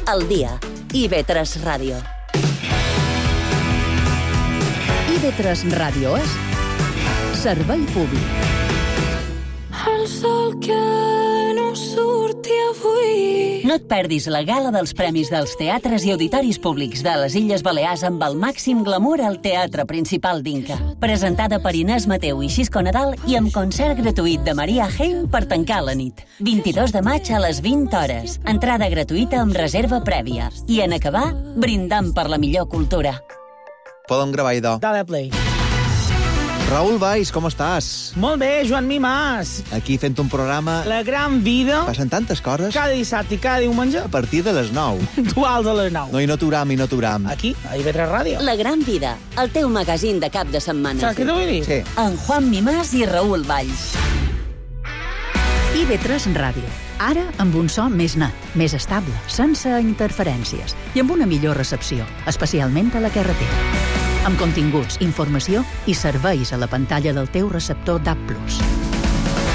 Al dia. IB3 Ràdio. IB3 Ràdio és servei públic. El sol que no surti avui. No et perdis la gala dels Premis dels Teatres i Auditoris Públics de les Illes Balears amb el màxim glamour al Teatre Principal d'Inca. Presentada per Inés Mateu i Xisco Nadal i amb concert gratuït de Maria Hein per tancar la nit. 22 de maig a les 20 hores. Entrada gratuïta amb reserva prèvia. I en acabar, brindant per la millor cultura. Podem gravar, idò. Dale play. Raül Valls, com estàs? Molt bé, Joan Mimàs. Aquí fent un programa... La gran vida. Passen tantes coses. Cada dissabte i cada diumenge. A partir de les 9. Duals a les 9. No, i no t'uram. Aquí, a IB3 Ràdio. La gran vida, el teu magazín de cap de setmana. Saps què t'ho vull dir? Sí. En Juan Mimàs i Raül Valls. IB3 Ràdio. Ara amb un so més net, més estable, sense interferències i amb una millor recepció, especialment a la carretera. amb continguts, informació i serveis a la pantalla del teu receptor DAB+.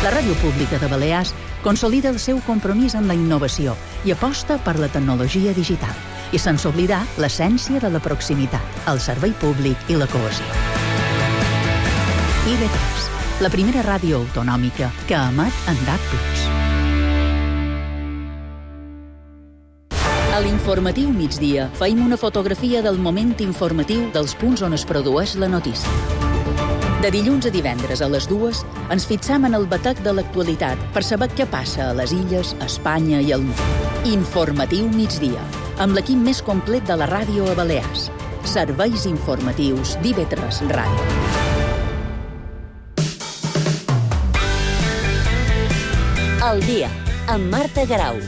La Ràdio Pública de Balears consolida el seu compromís amb la innovació i aposta per la tecnologia digital, i sense oblidar l'essència de la proximitat, el servei públic i la cohesió. IB3, la primera ràdio autonòmica que emet en DAB+. A l'informatiu migdia feim una fotografia del moment informatiu dels punts on es produeix la notícia. De dilluns a divendres a les 2 ens fixam en el batec de l'actualitat per saber què passa a les illes, a Espanya i al món. Informatiu migdia, amb l'equip més complet de la ràdio a Balears. Serveis informatius d'IB3 Ràdio. El dia, amb Marta Garau.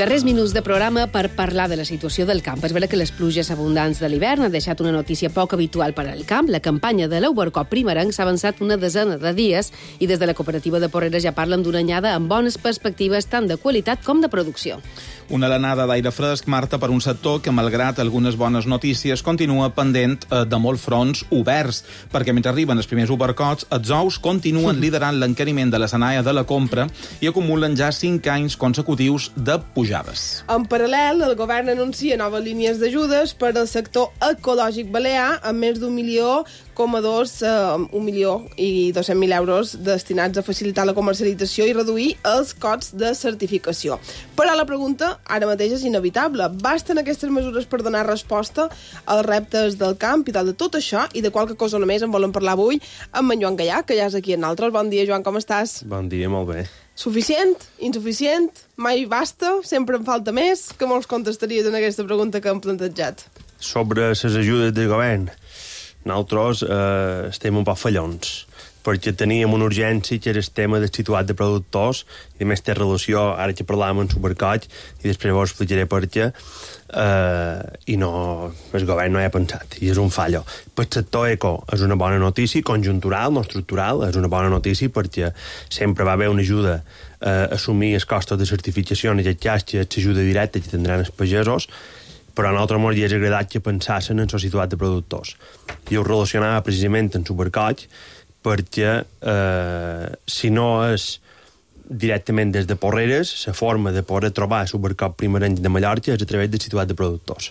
Darrers minuts de programa per parlar de la situació del camp. És vera que les pluges abundants de l'hivern han deixat una notícia poc habitual per al camp. La campanya de l'Overcop primerenc s'ha avançat una desena de dies i des de la cooperativa de Porreres ja parlen d'una anyada amb bones perspectives tant de qualitat com de producció. Una alenada d'aire fresc, Marta, per un sector que, malgrat algunes bones notícies, continua pendent de molts fronts oberts, perquè mentre arriben els primers overcots, els ous continuen liderant l'encariment de la escenària de la compra i acumulen ja 5 anys consecutius de pujades. En paral·lel, el govern anuncia noves línies d'ajudes per al sector ecològic balear amb més d'1,2 milions euros destinats a facilitar la comercialització i reduir els costs de certificació. Però la pregunta ara mateix és inevitable. Basten aquestes mesures per donar resposta als reptes del camp i de tot això i de qualque cosa només en volem parlar avui amb en Joan Gallà, que ja és aquí en nosaltres. Bon dia, Joan, com estàs? Bon dia, molt bé. Suficient? Insuficient? Mai basta? Sempre en falta més? Què mos contestaries en aquesta pregunta que hem plantejat? Sobre les ajudes del govern, nosaltres estem un poc fallons, perquè teníem una urgència que era el tema del situat de productors i a més té relació, ara que parlàvem en Supercoll i després vos explicaré per què, i no, el govern no hi ha pensat i és un fallo. Per el sector eco és una bona notícia, conjuntural, no estructural, és una bona notícia perquè sempre va haver una ajuda a assumir els costos de certificació, en aquest cas que és l'ajuda directa que tindran els pagesos, però a nosaltres ens hauria agradat que pensassin en la situat de productors. I ho relacionava precisament en Supercoll perquè si no és directament des de Porreres, la forma de poder trobar Supercop primerenc de Mallorca és a través del situat de productors.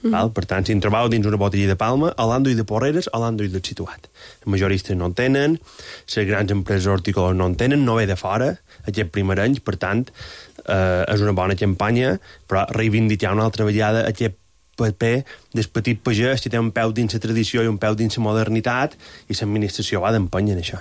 Val? Per tant, si en trobeu dins una botella de Palma, a l'Andoll de Porreres, a l'Andoll del situat. Els majoristes no en tenen, les grans empreses hortícoles no en tenen, no ve de fora, aquest primerenc, per tant, és una bona campanya, però reivindicar una altra vegada aquest paper del petit pagès que té un peu dins la tradició i un peu dins la modernitat i l'administració va d'empeny en això.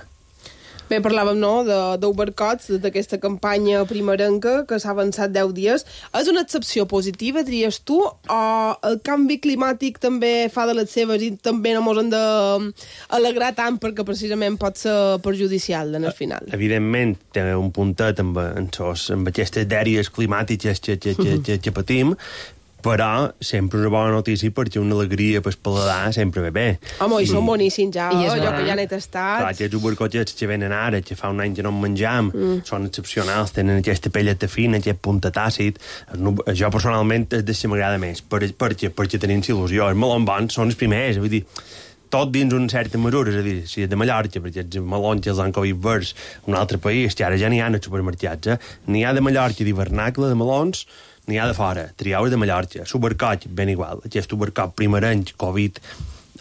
Bé, parlàvem, no?, d'Overcots, d'aquesta campanya primerenca que s'ha avançat 10 dies. És una excepció positiva, diries tu, o el canvi climàtic també fa de les seves i també no mos han d'alegrar tant perquè precisament pot ser perjudicial en el final? Evidentment, té un puntet amb aquestes dèries climàtiques que patim, però sempre una bona notícia perquè una alegria per paladar sempre ve bé. Home, i són boníssims ja, allò que ja n'he tastat. Clar, aquests supercotxets que venen ara, que fa un any que no en menjam, són excepcionals, tenen aquesta pelleta fina, aquest puntet àcid. Jo personalment és de si m'agrada més, perquè tenim il·lusió. Els melons bons són els primers, vull dir, tot dins una certa mesura, és a dir, si és de Mallorca, perquè els melons els han cogut verds un altre país, que ara ja n'hi ha als supermercats, n'hi ha de Mallorca d'hivernacle, de melons, n'hi ha de fora, triaus de Mallorca, Supercoll, ben igual. Aquest Supercoll primerenc, Covid,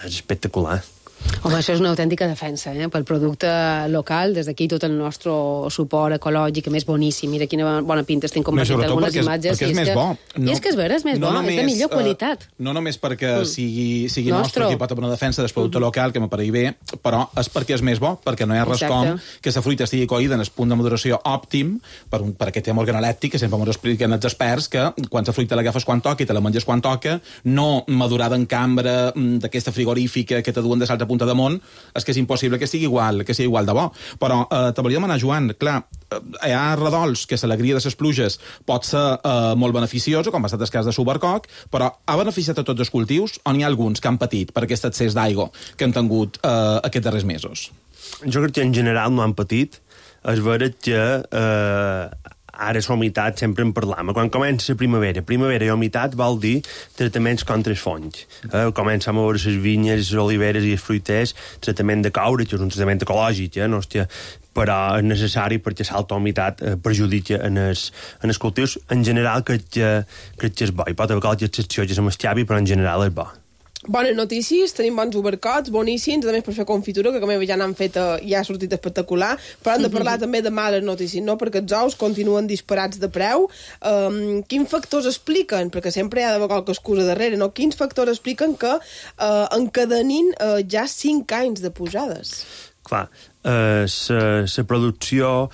és espectacular. Home, això és una autèntica defensa, pel producte local. Des d'aquí tot el nostre suport ecològic, més boníssim. Mira quina bona pinta estem compartint algunes imatges. Perquè és més bo. I és que és vera, és més bo, és de millor qualitat. No només perquè sigui nostre, que pot haver una defensa del producte local, que m'apareix bé, però és perquè és més bo, perquè no hi ha res com que la fruita estigui coïda en el punt de maduració òptim per aquest tema organolèptic, que sempre m'ho expliquen els experts, que quan la fruita l'agafes quan toca i te la menges quan toca, no madurada en cambra d'aquesta frigorífica que te duen de l'altre punt punta damunt, és que és impossible que sigui igual de bo. Però te volia demanar, Joan, clar, hi ha redols que l'alegria de les pluges pot ser molt beneficiosa, com ha estat el cas de Subercoc, però ha beneficiat a tots els cultius o n'hi ha alguns que han patit per aquest excés d'aigua que han tingut aquests darrers mesos? Jo crec que en general no han patit. És veritat que ara la humitat sempre en parlam. Quan comença la primavera i humitat vol dir tractaments contra els fongs. Comencem a veure les vinyes, les oliveres i els fruiters, tractament de coure, que és un tractament ecològic, no? Hòstia, però és necessari perquè l'alta humitat perjudica en els cultius. En general crec que és bo. Hi pot haver qualque excepció que se m'escavi, però en general és bo. Bones notícies, tenim bons Subercocs, boníssims, a més per fer confitura, que com ja n'han fet, ja ha sortit espectacular, però hem de parlar també de males notícies, no? Perquè els ous continuen disparats de preu. Quins factors expliquen, perquè sempre hi ha d'haver qualque excusa darrere, no? Quins factors expliquen que encadenin ja 5 anys de pujades? Clar, la producció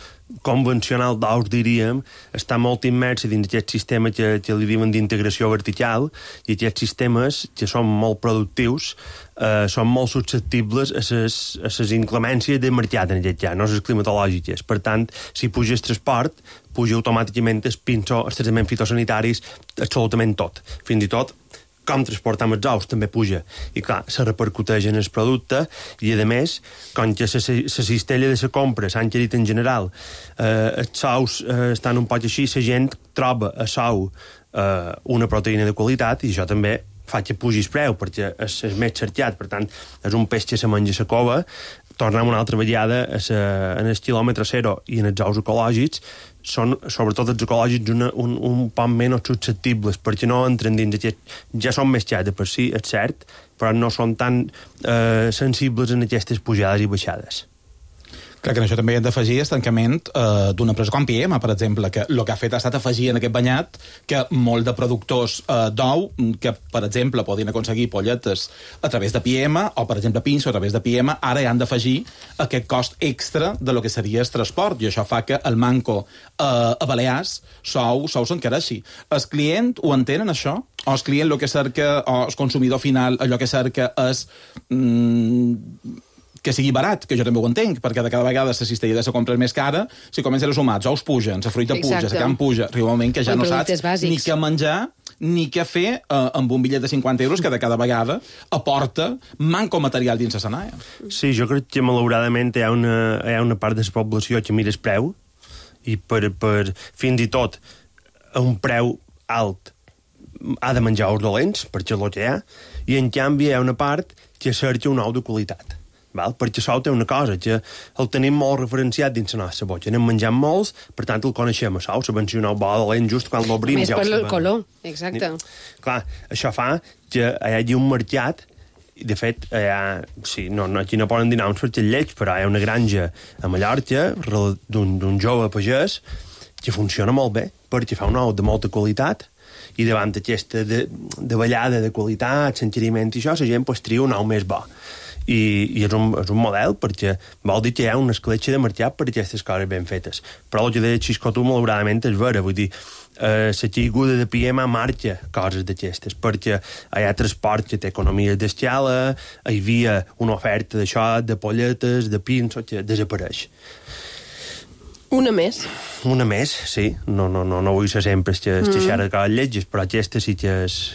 convencional d'ous, diríem, està molt immersa dins aquest sistema que li diuen d'integració vertical, i aquests sistemes, que són molt productius, són molt susceptibles a les inclemències de mercat, en aquest cas, no les climatològiques. Per tant, si puja el transport, puja automàticament el pinso, els tractaments fitosanitaris, absolutament tot. Fins i tot com transportam els ous també puja. I clar, se repercuteix en el producte i, a més, com que la cistella de la compra s'ha encarit en general, els ous estan un poc així, la gent troba a l'ou una proteïna de qualitat i això també fa que pugi el preu, perquè és més cercat. Per tant, és un peix que se menja a la cova. Tornem una altra vegada en el quilòmetre zero i en els ous ecològics, són, sobretot els ecològics, un poc menys susceptibles, perquè no entren dins aquest... Ja són més xats de per si, és cert, però no són tan sensibles en aquestes pujades i baixades. Clar que en això també hem d'afegir el tancament d'una empresa com Piema, per exemple, que el que ha fet ha estat afegir en aquest banyat que molt de productors d'ou, que, per exemple, podien aconseguir polletes a través de Piema, o, per exemple, pinso a través de Piema, ara hi han d'afegir aquest cost extra de lo que seria el transport, i això fa que el manco a Balears sou s'encareixi. El client ho entenen, això? O el client el que cerca, o el consumidor final allò que cerca és... que sigui barat, que jo també ho entenc, perquè de cada vegada la cistella de la compra és més cara, si comencen els humats, ous pugen, la fruita puja, la carn puja, arriba un moment que ja no saps ni què menjar, ni què fer amb un bitllet de 50 euros que de cada vegada aporta manco material dins la sanàia. Sí, jo crec que malauradament hi ha una part de la població que mira el preu i per fins i tot a un preu alt ha de menjar ous dolents, perquè és el que hi ha, i en canvi hi ha una part que cerca un ou de qualitat. Val? Perquè això té una cosa, que el tenim molt referenciat dins la nostra boca. Anem menjant molts, per tant el coneixem, sabeu? Sabem si un ou bo dolent just quan l'obrim. Més per el color, exacte. Clar, això fa que hi hagi un mercat, de fet, aquí no poden dir noms perquè és lleig, però hi ha una granja a Mallorca d'un jove pagès que funciona molt bé, perquè fa un ou de molta qualitat, i davant aquesta davallada de qualitat, s'encariment i això, la gent tria un ou més bo. I és un model, perquè vol dir que hi ha una escletxa de mercat per aquestes coses ben fetes. Però el que deia Xisco, malauradament, és vera. Vull dir, la caiguda de Piema marca coses d'aquestes, perquè hi ha transport que té economia d'escala, hi havia una oferta d'això, de polletes, de pinso, que desapareix. Una més, sí. No vull ser sempre xerra de coses lletges, però aquesta sí que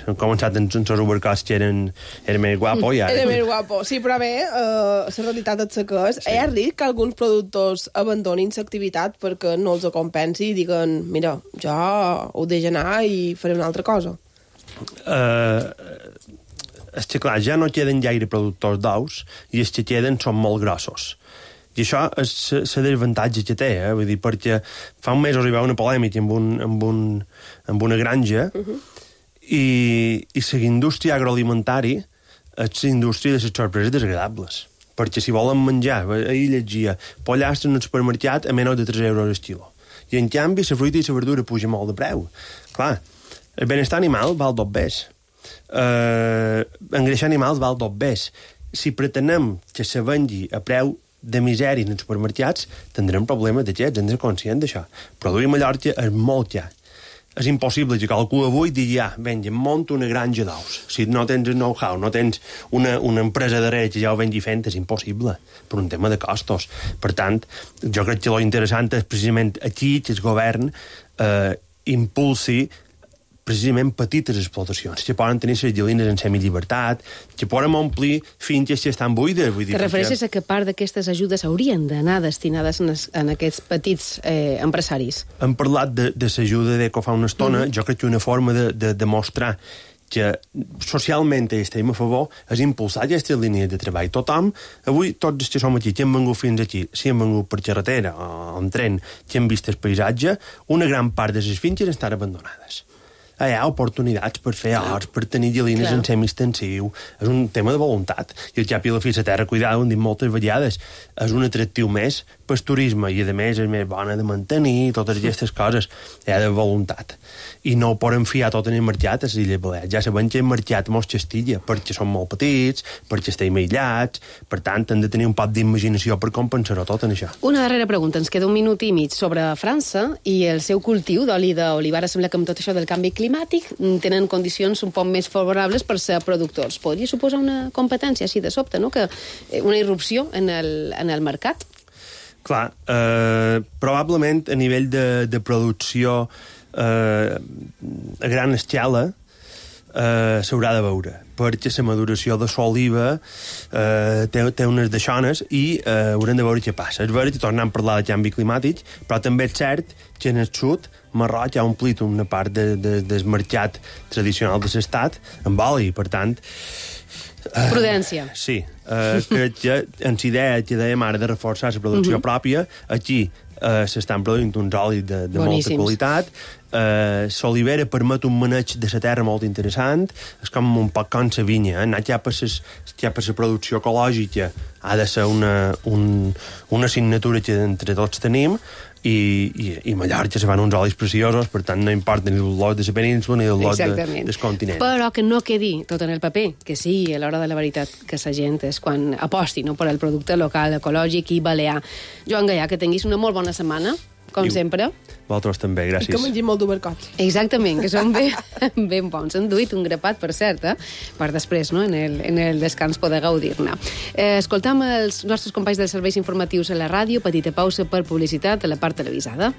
han començat en els Subercocs que eren més guapo. Era més guapo. Sí, però bé, la realitat és que és. Hi ha risc que alguns productors abandonin l'activitat perquè no els compensi i diguen, mira, jo ho deixo anar i faré una altra cosa. És que, clar, ja no queden gaire productors d'ous i els que queden són molt grossos. I això és el desavantatge que té, vull dir, perquè fa un mes arribava una polèmica amb una granja i la indústria agroalimentària és la indústria de les sorpreses desagradables. Perquè si volen menjar, ahir llegia, pollastre en el supermercat a menys de 3 euros el quilo. I en canvi la fruita i la verdura puja molt de preu. Clar, el benestar animal val dos bes. Engreixar animals val dos bes. Si pretenem que se vengui a preu de misèria en els supermercats, tindrem problemes d'aquests, hem de ser conscients d'això. Produir a Mallorca és molt car. és impossible que algú avui digui, venga, monta una granja d'ous. Si no tens el know-how, no tens una empresa darrere que ja ho vengui fent, és impossible, per un tema de costos. Per tant, jo crec que lo interessant és precisament aquí que el govern impulsi precisament petites explotacions, que poden tenir les gallines en semillibertat, que poden omplir finques que estan buides. Vull dir, te refereixes a que part d'aquestes ajudes haurien d'anar destinades en aquests petits empresaris? Hem parlat de l'ajuda d'Eco fa una estona. Jo crec que una forma de demostrar que socialment estem a favor és impulsar aquestes línies de treball. Tothom, avui tots els que som aquí, que hem vengut fins aquí, si hem vengut per carretera o en tren, que hem vist el paisatge, una gran part de les finques estan abandonades. Hi ha oportunitats per fer horts, per tenir gallines en semi-extensiu. És un tema de voluntat. I el cap i la fi, la terra cuidada, ho hem dit moltes vegades, és un atractiu més pel turisme i, a més, és més bona de mantenir, totes aquestes coses. Hi ha de voluntat. I no ho poden fiar tot en el mercat a les Illes Balears. Ja sabem que el mercat mos xastilla, perquè són molt petits, perquè estem aïllats, per tant, hem de tenir un poc d'imaginació per compensar-ho tot en això. Una darrera pregunta, ens queda un minut i mig sobre França i el seu cultiu d'oli d'olivar. Sembla que amb tot això del canvi climàtic tenen condicions un poc més favorables per ser productors. Podria suposar una competència així de sobte, no? Que una irrupció en el mercat? Clar, probablement a nivell de producció a gran escala s'haurà de veure, perquè la maduració de l'oliva té unes deixones i haurem de veure què passa. És veritat que tornem a parlar de canvi climàtic, però també és cert que en el sud Marroc ha omplit una part del mercat tradicional de l'estat amb oli, per tant... Prudència. Sí, crec que en la idea que dèiem ara de reforçar la producció pròpia, aquí s'estan produint uns olis de molta qualitat. L'olivera permet un maneig de la terra molt interessant, és com un poc com la vinya, anar cap a la producció ecològica ha de ser una assignatura que entre tots tenim, i Mallorca se fan uns olis preciosos, per tant no importa ni el lot de la península ni el lot del continent. Però que no quedi tot en el paper, que sí, a l'hora de la veritat, que la gent és quan aposti per al producte local, ecològic i balear. Joan Gaià, que tinguis una molt bona setmana, com sempre. Vosaltres també, gràcies. I que mengim molt d'obercots. Exactament, que són ben bons. Han duit un grapat, per cert, per després, no? en el descans, poder gaudir-ne. Escoltam els nostres companys dels serveis informatius a la ràdio, petita pausa per publicitat a la part televisada.